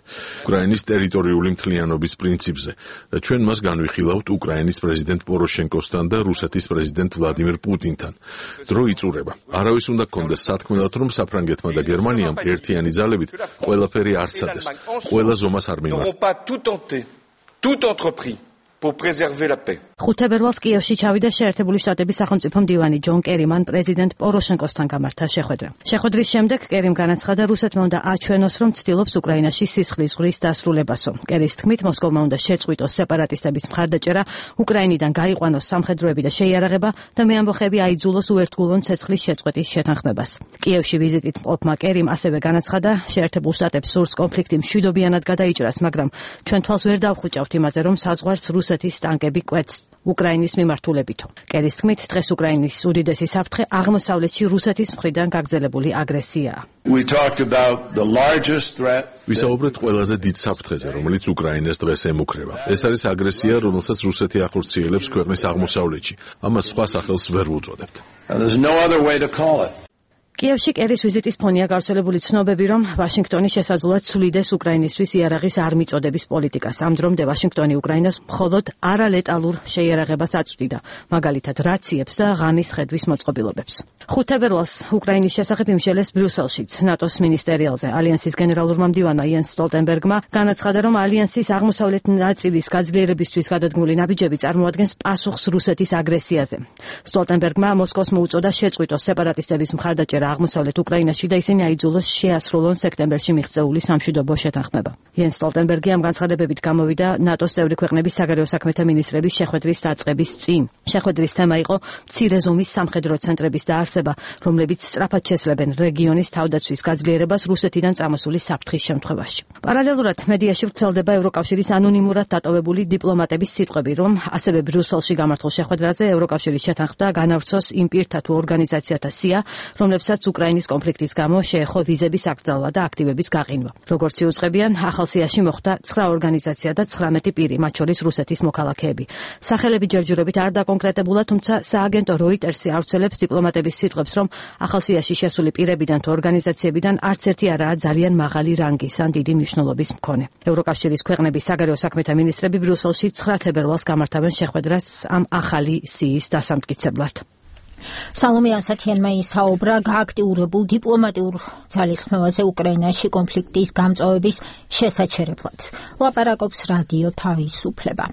უკრაინის ტერიტორიული მთლიანობის პრინციპზე და ჩვენ მას განვიხილავთ უკრაინის პრეზიდენტ პოროშენკოსთან და რუსეთის პრეზიდენტ ვლადიმირ პუტინთან. დრო იწურება. არავის უნდა გქონდეს სათქმელად, რომ საფრანგეთმა და გერმანიამ ერთიანი ძალებით ყველაფერი არ სცადეს, ყველა ზომას არ მიმართეს. pour préserver la paix. 5 თებერვალს კიევში ჩავიდა შეერთებული შტატების სახელმწიფო მდივანი ჯონ კერი, მან პრეზიდენტ პოროშენკოსთან გამართა შეხვედრა. შეხვედრის შემდეგ კერიმ განაცხადა, რუსეთმა უნდა აჩვენოს, რომ ცდილობს უკრაინაში სისხლის ზღვრის დასრულებასო. კერის თქმით, მოსკოვმა უნდა შეწყვიტოს სეპარატისტების მხარდაჭერა, უკრაინიდან გაიყვანოს სამხედროები და შეიარაღება და მეამბოხები აიძულოს უერთგულოვან ცეცხლის შეწყვეტის შეთანხმებას. კიევში ვიზიტით მყოფმა კერიმ ასევე განაცხადა, შეერთებულ შტატებს სურს კონფლიქტი მშვიდობიანად გადაიჭრას, მაგრამ ჩვენ თვალს ვერ დავხვიჭავთ იმაზე, რომ საზღვარს რუსეთის ტანკები კვეთს უკრაინის მიმართულებითო. კერის თქმით, დღეს უკრაინის უდიდესი საფრთხე აღმოსავლეთში რუსეთის მხრიდან გაგრძელებული აგრესიაა. ვისაუბრეთ ყველაზე დიდ საფრთხეზე, რომელიც უკრაინას დღეს ემუქრება. ეს არის აგრესია, რომელსაც რუსეთი ახორციელებს ქვეყნის აღმოსავლეთში. ამას სხვა სახელს ვერ ვუწოდებთ. კიევში კერის ვიზიტის ფონია გავრცელებული ცნობები, რომ ვაშინგტონი შესაძლოა ცვლიდეს უკრაინისთვის იარაღის არ მიწოდების პოლიტიკას. ამ დრომდე ვაშინგტონი უკრაინას მხოლოდ არალეტალურ შეიარაღებას აწვდიდა, მაგალითად რაციებს და ღამის ხედვის მოწყობილობებს. 5 თებერვალს უკრაინის შესახებ იმშელეს ბრიუსელშიც ნატოს მინისტერიალზე. ალიანსის გენერალურმა მდივანმა იენს სტოლტენბერგმა განაცხადა, რომ ალიანსის აღმოსავლეთ ნაწილის გაძლიერებისთვის გადადგმული ნაბიჯები წარმოადგენს პასუხს რუსეთის აგრესიაზე. სტოლტენბერგმა მოსკოვს მოუწოდა შეწყვიტოს სეპარატისტების მხარდაჭერა აღმოსავლეთ უკრაინაში და ისინი აიძულოს შეასრულონ სექტემბერში მიღწეული სამშვიდობო შეთანხმება. იენს სტოლტენბერგი ამ განცხადებებით გამოვიდა ნატოს წევრი ქვეყნების საგარეო საქმეთა მინისტრების შეხვედრის დაწყების წინ. შეხვედრის თემა იყო მცირე ზომის სამხედრო ცენტრების დაარსება, რომლებიც სწრაფად შესლებენ რეგიონის თავდაცვის გაძლიერებას რუსეთიდან წამოსული საფრთხის შემთხვევაში. პარალელურად მედიაში ვრცელდება ევროკავშირის ანონიმურად დატოვებული დიპლომატების სიტყვები, რომ ასევე ბრიუსელში გამართულ შეხვედრაზე ევროკავშირის შეთანხმდა განავრცოს იმ პირთა თუ ორგანიზაციათა სია, რომლებსაც უკრაინის კონფლიქტის გამო შეეხო ვიზების აკრძალვა და აქტივების გაყინვა. როგორც იუწყებიან, ახალ სიაში მოხვდა 9 ორგანიზაცია და 19 პირი, მათ შორის რუსეთის მოქალაქეები. სახელები ჯერჯერობით არ დაკონკრეტებულა, თუმცა სააგენტო როიტერსი ავრცელებს დიპლომატების სიტყვებს, რომ ახალ სიაში შესული პირებიდან თუ ორგანიზაციებიდან არც ერთი არაა ძალიან მაღალი რანგის ან დიდი მნიშვნელობის მქონე. ევროკავშირის ქვეყნების საგარეო საქმეთა მინისტრები ბრიუსელში 9 თებერვალს გამართავენ შეხვედრას ამ ახალი სიის დასამტკიცებლად. სალომე ასათიანმა ისაუბრა გააქტიურებულ დიპლომატიურ ძალისხმევაზე უკრაინაში კონფლიქტის გამწვავების შესაჩერებლად. ლაპარაკობს რადიო თავისუფლება.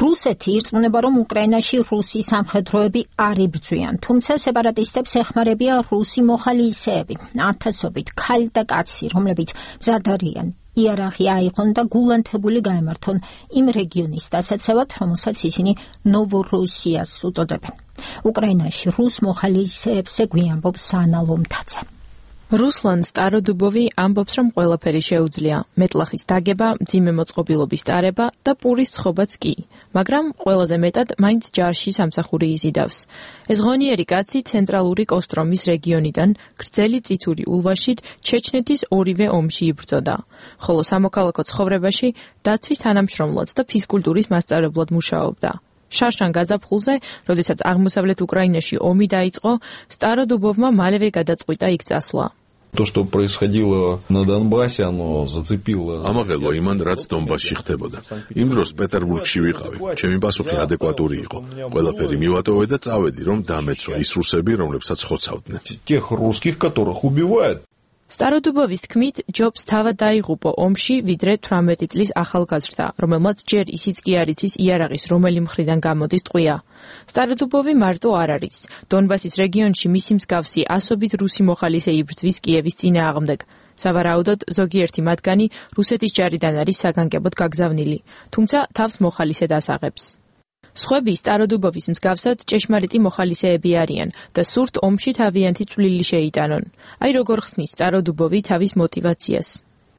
რუსეთი ირწმუნება, რომ უკრაინაში რუსი სამხედროები არ იბრძვიან, თუმცა სეპარატისტებს ეხმარებიან რუსი მოხალისეები, ათასობით ქალი და კაცი, რომლებიც მზად არიან იარაღი აიღონ და გულანთებული გაემართონ იმ რეგიონის დასაცავად, რომელსაც ისინი ნოვორუსიას უწოდებენ. უკრაინაში რუს მოხალისეებს გვიამბობს ანა ლომთაძე. რუსლან სტაროდუბოვი ამბობს, რომ ყველაფერი შეუძლია. მეტლახის დაგება, მძიმე მოწყობილობის ტარება და პურის ცხობაც კი. მაგრამ ყველაზე მეტად მაინც ჯარში სამსახური იზიდავს. ეს ღონიერი კაცი ცენტრალური კოსტრომის რეგიონიდან გრძელი წითური ულვაშით ჩეჩნეთის ორივე ომში იბრძოდა. ხოლო სამოქალაქო ცხოვრებაში დაცვის თანამშრომლად და ფიზკულტურის მასწავლებლად მუშაობდა. შარშან გაზაფხულზე, როდესაც აღმოსავლეთ უკრაინაში ომი დაიწყო, სტაროდუბოვმა მალევე გადაწყვიტა იქ წასვლა. То, что происходило на Донбассе, оно зацепило. ამაღელვა იმან, რაც დონბასში ხდებოდა. იმ დროს პეტერბურგში ვიყავი. ჩემი პასუხი ადეკვატური იყო. ყველაფერი მივატოვე და წავედი, რომ დამეცვა ის რუსები, რომლებსაც ხოცავდნენ. Тех русских, которых убивают. სტაროდუბოვის თქმით, ჯობს თავად დაიღუპო ომში, ვიდრე 18 წლის ახალგაზრდა, რომელმაც ჯერ ისიც კი არ იცის იარაღის რომელი მხრიდან გამოდის ტყვია. სტაროდუბოვი მარტო არ არის. დონბასის რეგიონში მისი მსგავსი ასობით რუსი მოხალისე იბრძვის კიევის წინააღმდეგ. სავარაუდოდ, ზოგიერთი მათგანი რუსეთის ჯარიდან არის საგანგებოდ გაგზავნილი, თუმცა თავს მოხალისედ ასაღებს. სხვები სტაროდუბოვის მსგავსად ჭეშმარიტი მოხალისეები არიან და სურთ ომში თავიანთი წვლილი შეიტანონ. აი როგორ ხსნის სტაროდუბოვი თავის мотивациას.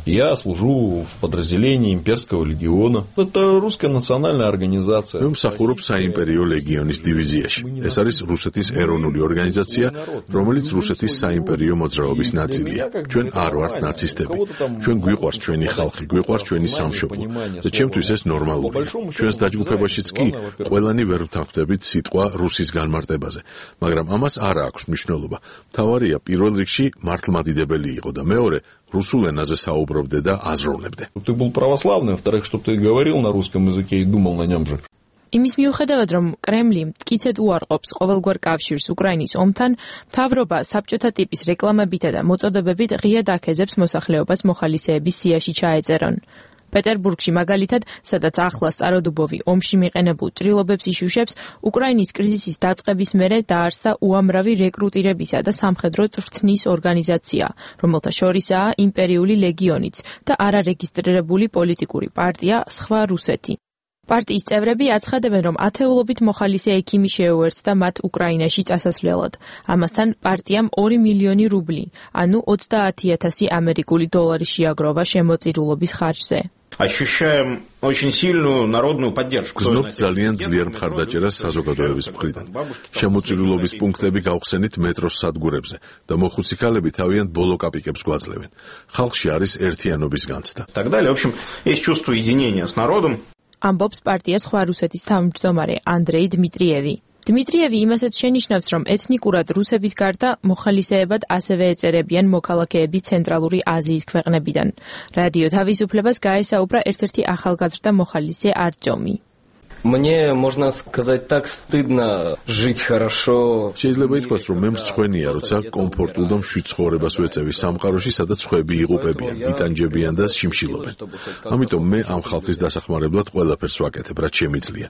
Я служу в подразделении имперского легиона. Это русская национальная организация. მე მსახურობ საიმპერიო ლეგიონის დივიზიაში. ეს არის რუსეთის ეროვნული ორგანიზაცია, რომელიც რუსეთის საიმპერიო მოძრაობის ნაწილია. ჩვენ არ ვართ ნაცისტები. ჩვენ გვიყვარს ჩვენი ხალხი, გვიყვარს ჩვენი სამშობლო. და ჩემთვის ეს ნორმალურია. ჩვენს დაჯგუფებაშიც კი ყველანი ვერ ვთანხმდებით სიტყვა რუსის განმარტებაზე, მაგრამ ამას არ აქვს მნიშვნელობა. მთავარია პირველ რიგში მართლმადიდებელი იყო და მეორე русულ ენაზე საუბრობდე და აზროვნებდე. Ты был православный, во-вторых, чтобы ты говорил на русском языке и думал на нем же. იმის მიუხედავად, რომ კრემლი მტკიცედ უარყოფს ყოველგვარ კავშირს უკრაინის ომთან, მთავრობა საბჭოთა ტიპის რეკლამებითა და მოწოდებებით ღიად აქეზებს მოსახლეობას მოხალისეების სიაში ჩაეწერონ. პეტერბურგში მაგალითად, სადაც ახლა სტაროდუბოვი ომში მიყენებულ ჭრილობებს იშუშებს, უკრაინის კრიზისის დაწყების მერე დაარსდა უამრავი რეკრუტირებისა და სამხედრო წვრთნის ორგანიზაცია, რომელთა შორისაა იმპერიული ლეგიონიც და არარეგისტრირებული პოლიტიკური პარტია სხვა რუსეთი. პარტიის წევრები აცხადებენ, რომ ათეულობით მოხალისე ექიმი შეუერთდა მათ უკრაინაში წასასვლელად. ამასთან პარტიამ 2 მილიონი რუბლი, ანუ 30,000 ამერიკული დოლარი შეაგროვა შემოწირულობის ხარჯზე. Ощущаем очень сильную народную поддержку. გზნობთ ძალიან ძლიერ მხარდაჭერას საზოგადოების მხრიდან. შემოწირულობის пунктები გავხსენით მეტროს სადგურებზე და მოხუცი ქალები თავიანთ ბოლო კაპიკებს გვაძლევენ. ხალხში არის ერთიანობის განცდა. Так далее. В общем, есть чувство единения с народом. ამბობს პარტიას სხვა რუსეთის თავმჯდომარე ანდრეი დმიტრიევი. დმიტრიევი იმასაც შენიშნავს, რომ ეთნიკურად რუსების გარდა მოხალისეებად ასევე ეწერებიან მოქალაქეები ცენტრალური აზიის ქვეყნებიდან. რადიო თავისუფლებას გაესაუბრა ერთ-ერთი ახალგაზრდა მოხალისე არტემი. Мне, можно сказать так, стыдно жить хорошо. შეიძლება ითქვას, რომ მე მრცხვენია, როცა კომფორტულ და მშვიდ ცხოვრებას ვეწევი სამყაროში, სადაც ხვები იღუპებიან, იტანჯებიან და შიმშილობენ. ამიტომ მე ამ ხალხის დასახმარებლად ყველაფერს ვაკეთებ, რაც შემიძლია.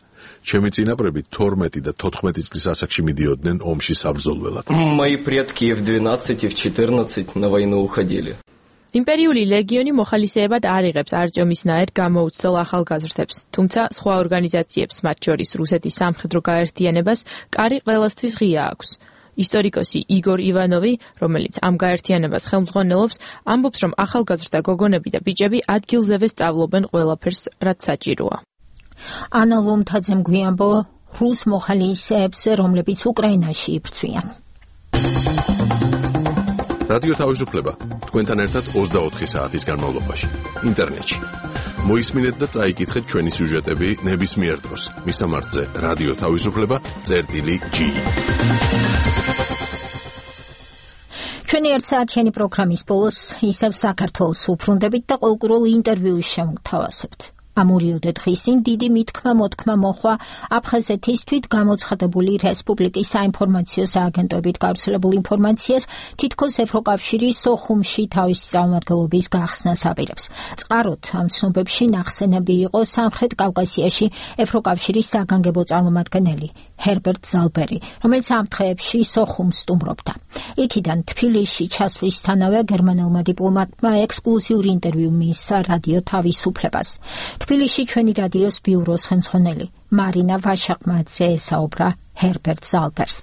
ჩემი წინაპრები 12 და 14 წლის ასაკში მიდიოდნენ ომში საბრძოლველად. Мои предки в 12 и в 14 на войну уходили. იმპერიული ლეგიონი მოხალისეებად არ იღებს არტემისნაირ გამოუცდელ ახალგაზრდებს, თუმცა სხვა ორგანიზაციებს, მათ შორის რუსეთის სამხედრო გაერთიანებას, კარი ყველასთვის ღია აქვს. ისტორიკოსი იგორ ივანოვი, რომელიც ამ გაერთიანებას ხელმძღვანელობს, ამბობს, რომ ახალგაზრდა გოგონები და ბიჭები ადგილზევე სწავლობენ ყველაფერს, რაც საჭიროა. ანა ლომთაძემ გვიამბო რუს მოხალისეებს, რომლებიც უკრაინაში იბრძვიან. რადიო თავისუფლება თქვენთან ერთად 24 საათის განმავლობაში ინტერნეტში. მოისმინეთ და წაიკითხეთ ჩვენი სიუჟეტები ნებისმიერ დროს. მისამართზე რადიო თავისუფლება.gi. ჩვენი ერთსაათიანი პროგრამის ბოლოს ისევ საქართველოს უბრუნდებით და ყოველკვირულ ინტერვიუს შემოგთავაზებთ. ამურიოდე დღისին დიდი მითქმა-მოთქმა მოხვა აფხაზეთის თვითგამოცხადებული რესპუბლიკის საინფორმაციო სააგენტოებით გავრცელებულ ინფორმაციას თითქოს ევროკავშირის სოხუმში თავისი წარმომადგენლობის გახსნას აპირებს. წყაროდ ამ ცნობებში ნახსენები იყო სამხრეთ კავკასიაში ევროკავშირის საგანგებო წარმომადგენელი ჰერბერტ ზალბერი, რომელიც ამ დღეებში სოხუმს სტუმრობდა. იქიდან თბილისში ჩასვლისთანავე გერმანელმა დიპლომატმა ექსკლუზიური ინტერვიუ მიისცა რადიო თავისუფლებას. თბილისში ჩვენი რადიოს ბიუროს ხელმძღვანელი მარინა ვაშაყმაძე ესაუბრა ჰერბერტ ზალბერს.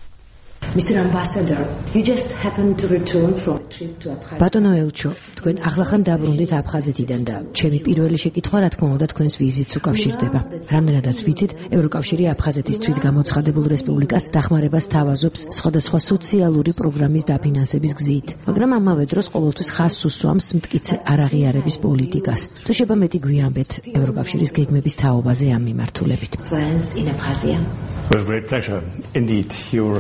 Mr. Ambassador, you just happened to return from a trip to Abkhazia. ბატონო ელჩო, თქვენ ახლახან დაბრუნდით აფხაზეთიდან და ჩემი პირველი შეკითხვა რა თქმა უნდა თქვენს ვიზიტს უკავშირდება. რამდენადაც ვიცით, ევროკავშირი აფხაზეთის თვითგამოცხადებულ რესპუბლიკას დახმარებას თავაზობს სხვადასხვა სოციალური პროგრამის დაფინანსების გზით, მაგრამ ამავე დროს ყოველთვის ხაზს უსვამს მტკიცე არაღიარების პოლიტიკას. თუ შეიძლება მეტი გვიამბეთ ევროკავშირის გეგმების თაობაზე ამ მიმართულებით. Friends in Abkhazia. With great pleasure. Indeed, your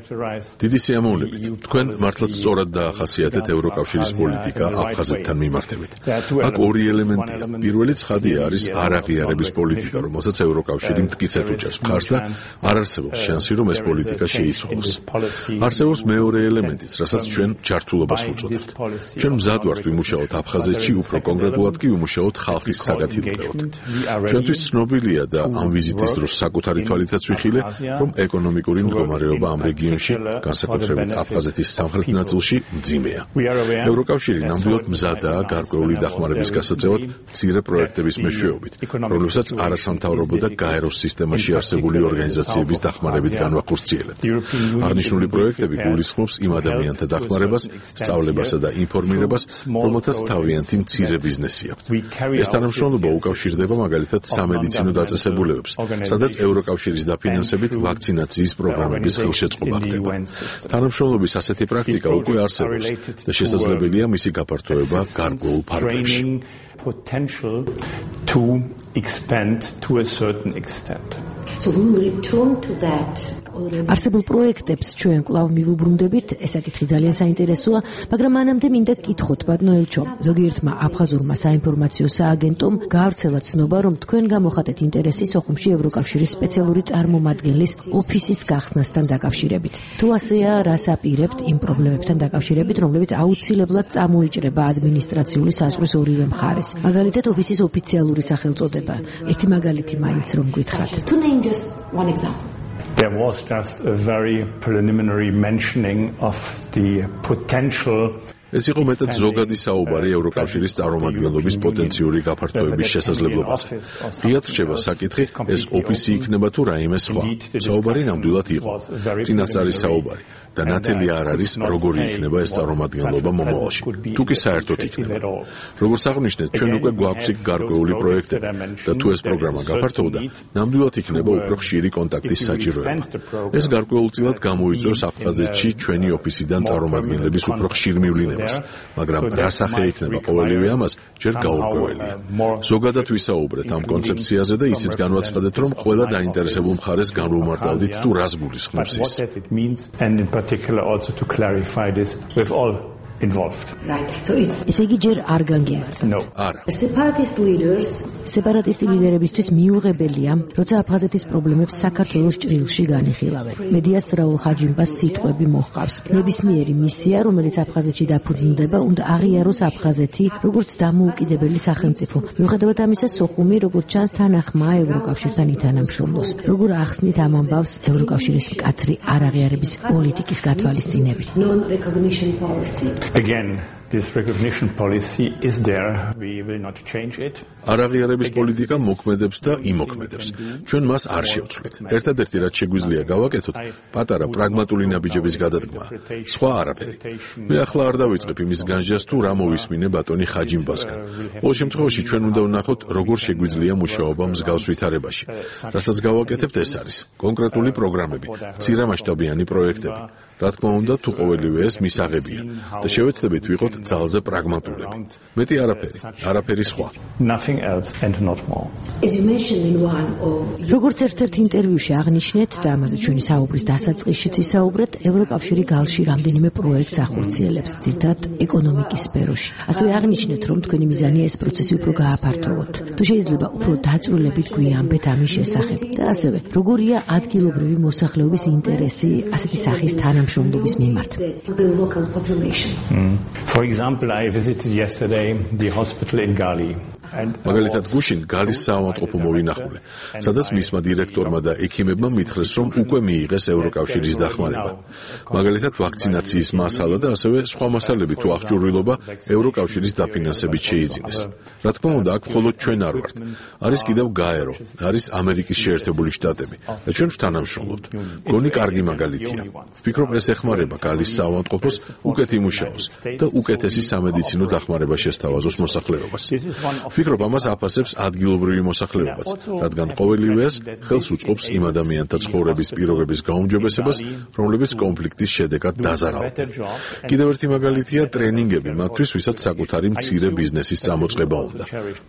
დიდი სიამოვნებით. თქვენ მართლაც სწორად დაახასიათეთ ევროკავშირის პოლიტიკა აფხაზეთთან მიმართებით. აქ ორი ელემენტია. პირველი ცხადია არის არაღიარების პოლიტიკა, რომელსაც ევროკავშირი მტკიცედ უჭერს მხარს და არ არსებობს შანსი, რომ ეს პოლიტიკა შეიცვალოს. არსებობს მეორე ელემენტიც, რასაც ჩვენ ჯართულობას ვუწოდებთ. ჩვენ მზად ვართ ვიმუშაოთ აფხაზეთში, უფრო კონკრეტულად კი ვიმუშაოთ ხალხის საგათილებლად. ჩვენთვის ცნობილია და ამ ვიზიტის დროს საკუთარი თვალითაც ვიხილე, რომ ეკონომიკური მდგომარეობა ამ რეგიონში, განსაკუთრებით აფხაზეთის სამხრეთ ნაწილში, მძიმეა. ევროკავშირი ნამდვილად მზადაა გარკვეული დახმარების გასაწევად მცირე პროექტების მეშვეობით, რომლებსაც არასამთავრობო და გაეროს სისტემაში არსებული ორგანიზაციების დახმარებით განვახორციელებთ. აღნიშნული პროექტები გულისხმობს იმ ადამიანთა დახმარებას, სწავლებასა და ინფორმირებას, რომელთაც თავიანთი მცირე ბიზნესი აქვთ. ეს თანამშრომლობა უკავშირდება მაგალითად სამედიცინო დაწესებულებებს, სადაც ევროკავშირის დაფინანსებით ვაქცინაციის პროგრამების ხელშეწყობა ხდება. თანამშრომლობის ასეთი პრაქტიკა უკვე არსებობს და შესაძლებელია მისი გაფართოება გარკვეულ ფარგლებში. Potential to expand to a certain extent. So we will return to that. არსებულ პროექტებს ჩვენ კვლავ მივუბრუნდებით, ეს საკითხი ძალიან საინტერესოა, მაგრამ მანამდე მინდა გკითხოთ, ბატონო ელჩო, ზოგიერთმა აფხაზურმა საინფორმაციო სააგენტომ გაავრცელა ცნობა, რომ თქვენ გამოხატეთ ინტერესი სოხუმში ევროკავშირის სპეციალური წარმომადგენლის ოფისის გახსნასთან დაკავშირებით. თუ ასეა, რას აპირებთ იმ პრობლემებთან დაკავშირებით, რომლებიც აუცილებლად წამოიჭრება ადმინისტრაციული საზღვრის ორივე მხარეს? მაგალითად, ოფისის ოფიციალური სახელწოდება. ერთი მაგალითი მაინც რომ გითხრათ. To name just one example. There was just a very preliminary mentioning of the potential. ეს იყო მეტად ზოგადი საუბარი ევროკავშირის წარმომადგენლობის პოტენციური გაფართოების შესაძლებლობაზე. ღიად რჩება საკითხი, ეს ოფისი იქნება თუ რაიმე სხვა. საუბარი ნამდვილად იყო. წინასწარი საუბარი და ნათელი არ არის, როგორი იქნება ეს წარმომადგენლობა მომავალში. თუ კი საერთოდ იქნება. როგორც აღნიშნეთ, ჩვენ უკვე გვაქვს იქ გარკვეული პროექტები და თუ ეს პროგრამა გაფართოვდა, ნამდვილად იქნება უფრო ხშირი კონტაქტის საჭიროება. ეს გარკვეულწილად გამოიწვევს აფხაზეთში ჩვენი ოფისიდან წარმომადგენლების უფრო ხშირ მივლინებას, მაგრამ რა სახე იქნება ყოველივე ამას, ჯერ გაურკვეველია. ზოგადად ვისაუბრეთ ამ კონცეფციაზე და ისიც განვაცხადეთ, რომ ყველა დაინტერესებულ მხარეს განვუმარტავდით თუ რას გულისხმობს ის. Particular also to clarify this with all involved. Right. So it's ესე იგი ჯერ არ განგემართ. No. არა. Separatist leaders სეპარატისტი ლიდერებისთვის მიუღებელია, როცა აფხაზეთის პრობლემებს საქართველოს ჭრილში განიხილავენ. მედიას რაულ ხაჯიმბას სიტყვები მოჰყავს. ნებისმიერი მისია, რომელიც აფხაზეთში დაფუძნდება, უნდა აღიაროს აფხაზეთი როგორც დამოუკიდებელი სახელმწიფო. მიუხედავად ამისა, სოხუმი, როგორც ჩანს, თანახმაა ევროკავშირთან ითანამშრომლოს. როგორ ახსნით ამ ამბავს ევროკავშირის მკაცრი არაღიარების პოლიტიკის გათვალისწინებით? non-recognition policy. Again, this recognition policy is there. We will not change it. არაღიარების პოლიტიკა მოქმედებს და იმოქმედებს. ჩვენ მას არ შევცვლით. ერთადერთი რაც შეგვიძლია გავაკეთოთ, პატარა პრაგმატული ნაბიჯების გადადგმა. სხვა არაფერი. მე ახლა არ დავიწყებ იმის განსჯას თუ რა მოვისმინე ბატონი ხაჯიმბასგან. ყოველ შემთხვევაში ჩვენ უნდა ვნახოთ, როგორ შეგვიძლია მუშაობა მსგავს ვითარებაში. რასაც გავაკეთებთ, ეს არის კონკრეტული პროგრამები, მცირემასშტაბიანი პროექტები. რა თქმა უნდა, თუ ყოველივე ეს მისაღებია და შევეცდებით ვიყოთ ძალზე პრაგმატულები. მეტი არაფერი სხვა. Nothing else and not more. როგორც ერთ-ერთ ინტერვიუში აღნიშნეთ და ამაზე ჩვენი საუბრის დასაწყისშიც ისაუბრეთ, ევროკავშირი გალში რამდენიმე პროექტს ახორციელებს, ძირითადად ეკონომიკის სფეროში. ასევე აღნიშნეთ, რომ თქვენი მიზანია ეს პროცესი უფრო გააფართოვოთ. თუ შეიძლება უფრო დაწვრილებით გვიამბეთ ამის შესახებ და ასევე როგორია ადგილობრივი მოსახლეობის ინტერესი ასეთი სახის თანამშრომლობის მიმართ. For example, I visited yesterday the hospital in Gali. მაგალითად გუშინ გალის საავადმყოფო მოვინახულე, სადაც მისმა დირექტორმა და ექიმებმა მითხრეს, რომ უკვე მიიღეს ევროკავშირის დახმარება. მაგალითად ვაქცინაციის მასალა და ასევე სხვა მასალები თუ აღჭურვილობა ევროკავშირის დაფინანსებით შეიძინეს. რა თქმა უნდა, აქ მხოლოდ ჩვენ არ ვართ. არის კიდევ გაერო, არის ამერიკის შეერთებული შტატები და ჩვენ ვთანამშრომლობთ. გონი კარგი მაგალითია. ვფიქრობ, ეს ეხმარება გალის საავადმყოფოს უკეთ იმუშაოს და უკეთესი სამედიცინო დახმარება შესთავაზოს მოსახლეობას. ვფიქრობ, ამას აფასებს ადგილობრივი მოსახლეობაც, რადგან ყოველივეას ხელს უწყობს იმ ადამიანთა ცხოვრების პირობების გაუმჯობესებას, რომლებიც კონფლიქტის შედეგად დაზარალდნენ. კიდევ ერთი მაგალითია ტრენინგები მათთვის, ვისაც საკუთარი მცირე ბიზნესის წამოწყება უნდა.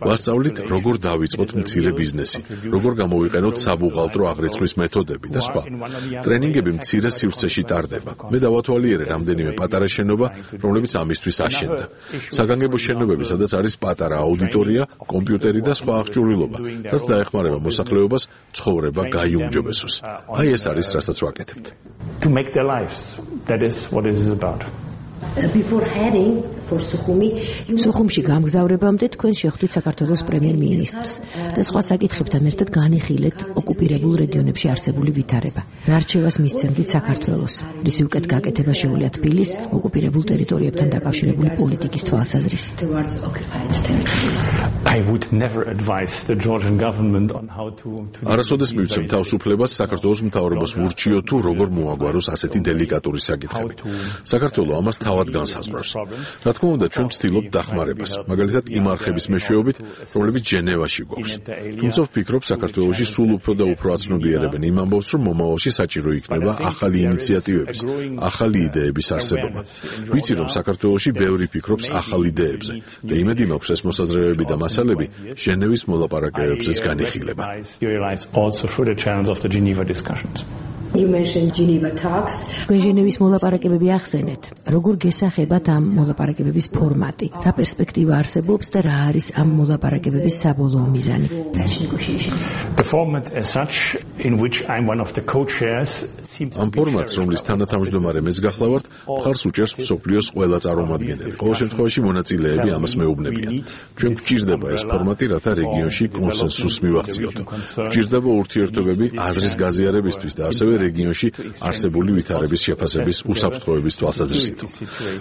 ვასწავლით, როგორ დავიწყოთ მცირე ბიზნესი, როგორ გამოვიყენოთ საბუღალტრო აღრიცხვის მეთოდები და სხვა. ტრენინგები მცირე სივრცეში ტარდება. მე დავათვალიერე რამდენიმე პატარა შენობა, რომლებიც ამისთვის აშენდა. საგანგებო შენობები, სადაც არის პატარა აუდიტორია, კომპიუტერი და სხვა აღჭურვილობა, რაც დაეხმარება მოსახლეობას ცხოვრება გაიუმჯობესოს. აი ეს არის, რასაც ვაკეთებთ. To make their lives. That is what it is about. Before heading for Sukhumში გამგზავრებამდე თქვენ შეხვდით საქართველოს პრემიერ-მინისტრს და სხვა საკითხებთან ერთად განიხილეთ ოკუპირებულ რეგიონებში არსებული ვითარება. რა რჩევას მისცემთ საქართველოს? რისი უკეთ გაკეთება შეუძლია თბილისს ოკუპირებულ ტერიტორიებთან დაკავშირებული პოლიტიკის თვალსაზრისით? I would never advise the Georgian government on how to არასოდეს მივცემ თავისუფლებას საქართველოს მთავრობას ვურჩიო თუ როგორ მოაგვაროს ასეთი დელიკატური საკითხები. საქართველო ამას თავად განსაზღვრავს. რა თქმა უნდა, ჩვენ ვცდილობთ დახმარებას, მაგალითად იმ არხების მეშვეობით, რომლებიც ჟენევაში გვაქვს. თუმცა ვფიქრობ, საქართველოში სულ უფრო და უფრო აცნობიერებენ იმ ამბავს, რომ მომავალში საჭირო იქნება ახალი ინიციატივების, ახალი იდეების არსებობა. ვიცი, რომ საქართველოში ბევრი ფიქრობს ახალ იდეებზე და იმედი მაქვს, ეს მოსაზრებები და მასალები ჟენევის მოლაპარაკებებზეც განიხილება. You mentioned Geneva talks. ჟენევის მოლაპარაკებები ახსენეთ. როგორ გესახებათ ამ მოლაპარაკებების ფორმატი? რა პერსპექტივა არსებობს და რა არის ამ მოლაპარაკებების საბოლოო მიზანი? The format as such in which I'm one of the co-chairs ამ ფორმატს, რომლის თანათავმჯდომარე მეც გახლავართ, მხარს უჭერს მსოფლიოს ყველა წარმომადგენელი. ყოველ შემთხვევაში მონაწილეები ამას მეუბნებიან. ჩვენ გვჭირდება ეს ფორმატი, რათა რეგიონში კონსენსუსს მივახციოთ. გვჭირდება ურთიერთობები აზრის გაზიარებისთვის და ასევე რეგიონში არსებული ვითარების შეფასების უსაფრთხოების თვალსაზრისით.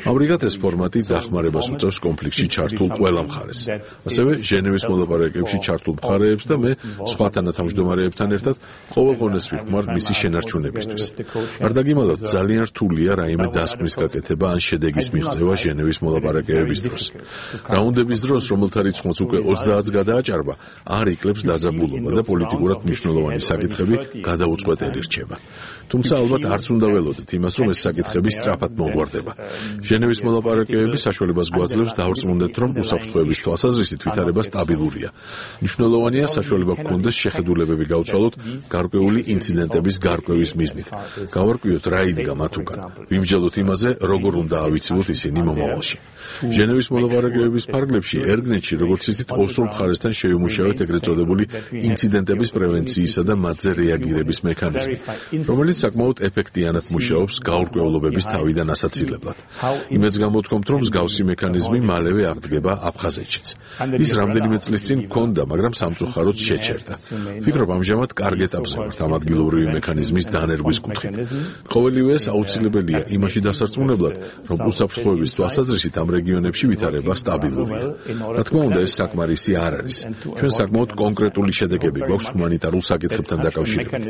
ამრიგად ეს ფორმატი დახმარებას უწევს კონფლიქტში ჩართულ ყველა მხარეს. ასევე ჟენევის მოლაპარაკებებში ჩართულ მხარეებს და მე სხვა თანათავმჯდომარეებთან ერთად ყოველ ღონეს ვიხმარ მისი შენარჩუნებისთვის. არ დაგიმალავთ, ძალიან რთულია რაიმე დასკვნის გაკეთება ან შედეგის მიღწევა ჟენევის მოლაპარაკებების დროს. რაუნდების დროს, რომელთა რიცხვიც უკვე 30-ს გადააჭარბა, არ იკლებს დაძაბულობა და პოლიტიკურად მნიშვნელოვანი საკითხები გადაუწყვეტელი რჩება. თუმცა ალბათ არც უნდა ველოდეთ იმას, რომ ეს საკითხები სწრაფად მოგვარდება. ჟენევის მოლაპარაკებები საშუალებას გვაძლევს დავრწმუნდეთ, რომ უსაფრთხოების თვალსაზრისით ვითარება სტაბილურია. მნიშვნელოვანია საშუალება გქონდეს შეხედულებები გავცვალოთ გარკვეული ინციდენტების გარკვევის მიზნით. გავარკვიოთ რა იდგა მათ უკან. ვიმსჯელოთ იმაზე, როგორ უნდა ავიცილოთ ისინი მომავალში. ჟენევის მოლაპარაკებების ფარგლებში ერგნეტში, როგორც იცით, ოსურ მხარესთან შევიმუშავეთ ეგრეთ წოდებული ინციდენტების პრევენციისა და მათზე რეაგირების მექანიზმი, რომელიც საკმაოდ ეფექტიანად მუშაობს გაურკვევლობების თავიდან ასაცილებლად. იმედს გამოთქვამთ, რომ მსგავსი მექანიზმი მალევე აღდგება აფხაზეთშიც. ის რამდენიმე წლის წინ მქონდა, მაგრამ სამწუხაროდ შეჩერდა. ვფიქრობ, ამჟამად კარგ ეტაპზე ვართ ამ ადგილობრივი მექანიზმის დანერგვის კუთხით. ყოველივეს აუცილებელია იმაში დასარწმუნებლად, რომ უსაფრთხოების თვალსაზრისით ამ რეგიონებში ვითარება სტაბილურია. რა თქმა უნდა, ეს საკმარისი არ არის. ჩვენ საკმაოდ კონკრეტული შედეგები გვაქვს ჰუმანიტარულ საკითხებთან დაკავშირებით.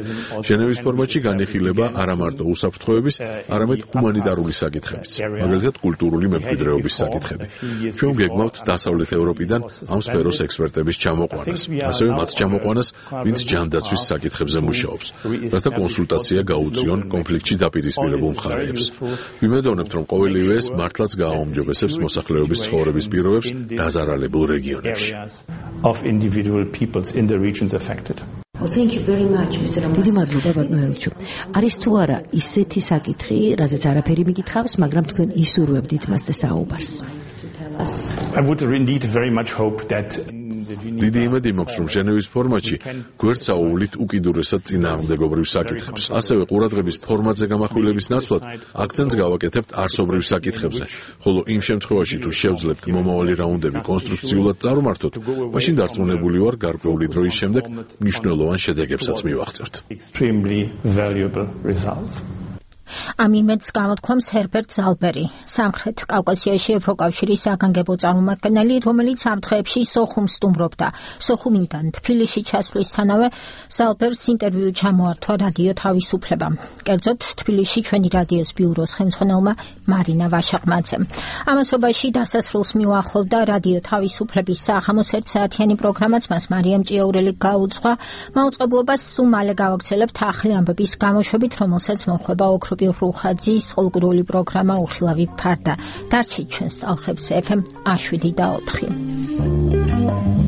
ჟენევის ფორმატში მასში განიხილება არა მარტო უსაფრთხოების, არამედ ჰუმანიტარული საკითხებიც, მაგალითად კულტურული მემკვიდრეობის საკითხები. ჩვენ გეგმავთ დასავლეთ ევროპიდან ამ სფეროს ექსპერტების ჩამოყვანას, ასევე მათ ჩამოყვანას, ვინც ჯანდაცვის საკითხებზე მუშაობს, რათა კონსულტაცია გაუწიონ კონფლიქტში დაპირისპირებულ მხარეებს. ვიმედოვნებთ, რომ ყოველივე ეს მართლაც გააუმჯობესებს მოსახლეობის ცხოვრების პირობებს დაზარალებულ რეგიონებში. Well, thank you very much, Mr. Ramos. დიდი მადლობა ბატონო ელჩო. არის თუ არა ისეთი საკითხი, რაზეც არაფერი მიკითხავს, მაგრამ თქვენ ისურვებდით მას და საუბარს. I would indeed very much hope that დიდი იმედი მაქვს, რომ ჟენევის ფორმატში გვერდსაუვლით უკიდურესად წინააღმდეგობრივ საკითხებს, ასევე ყურადღების ფორმატზე გამახვილების ნაცვლად აქცენტს გავაკეთებთ არსობრივ საკითხებზე, ხოლო იმ შემთხვევაში თუ შევძლებთ მომავალი რაუნდები კონსტრუქციულად წარმართოთ, მაშინ დარწმუნებული ვარ, გარკვეული დროის შემდეგ მნიშვნელოვან შედეგებსაც მივაღწევთ. ამ იმედს გამოთქვამს ჰერბერტ ზალბერი, სამხრეთ კავკასიაში ევროკავშირის საგანგებო წარმომადგენელი, რომელიც ამ დღეებში სოხუმს სტუმრობდა. სოხუმიდან თბილისში ჩასვლისთანავე ზალბერს ინტერვიუ ჩამოართვა რადიო თავისუფლება. კერძოდ თბილისში ჩვენი რადიოს ბიუროს ხელმძღვანელმა მარინა ვაშაყმაძემ. ამასობაში დასასრულს მიუახლოვდა რადიო თავისუფლების საღამოს ერთსაათიანი პროგრამაც მას მარიამ ჭიაურელი გაუძღვა. მაუწყებლობას სულ მალე გავაგრძელებთ ახალი ამბების გამოშვებით, რომელსაც მოხვება ოქროპი რუხაძის ყოლგრული პროგრამა უხილავი ფარდა. დარჩით ჩვენს ტალღებზე FM 7 და 4.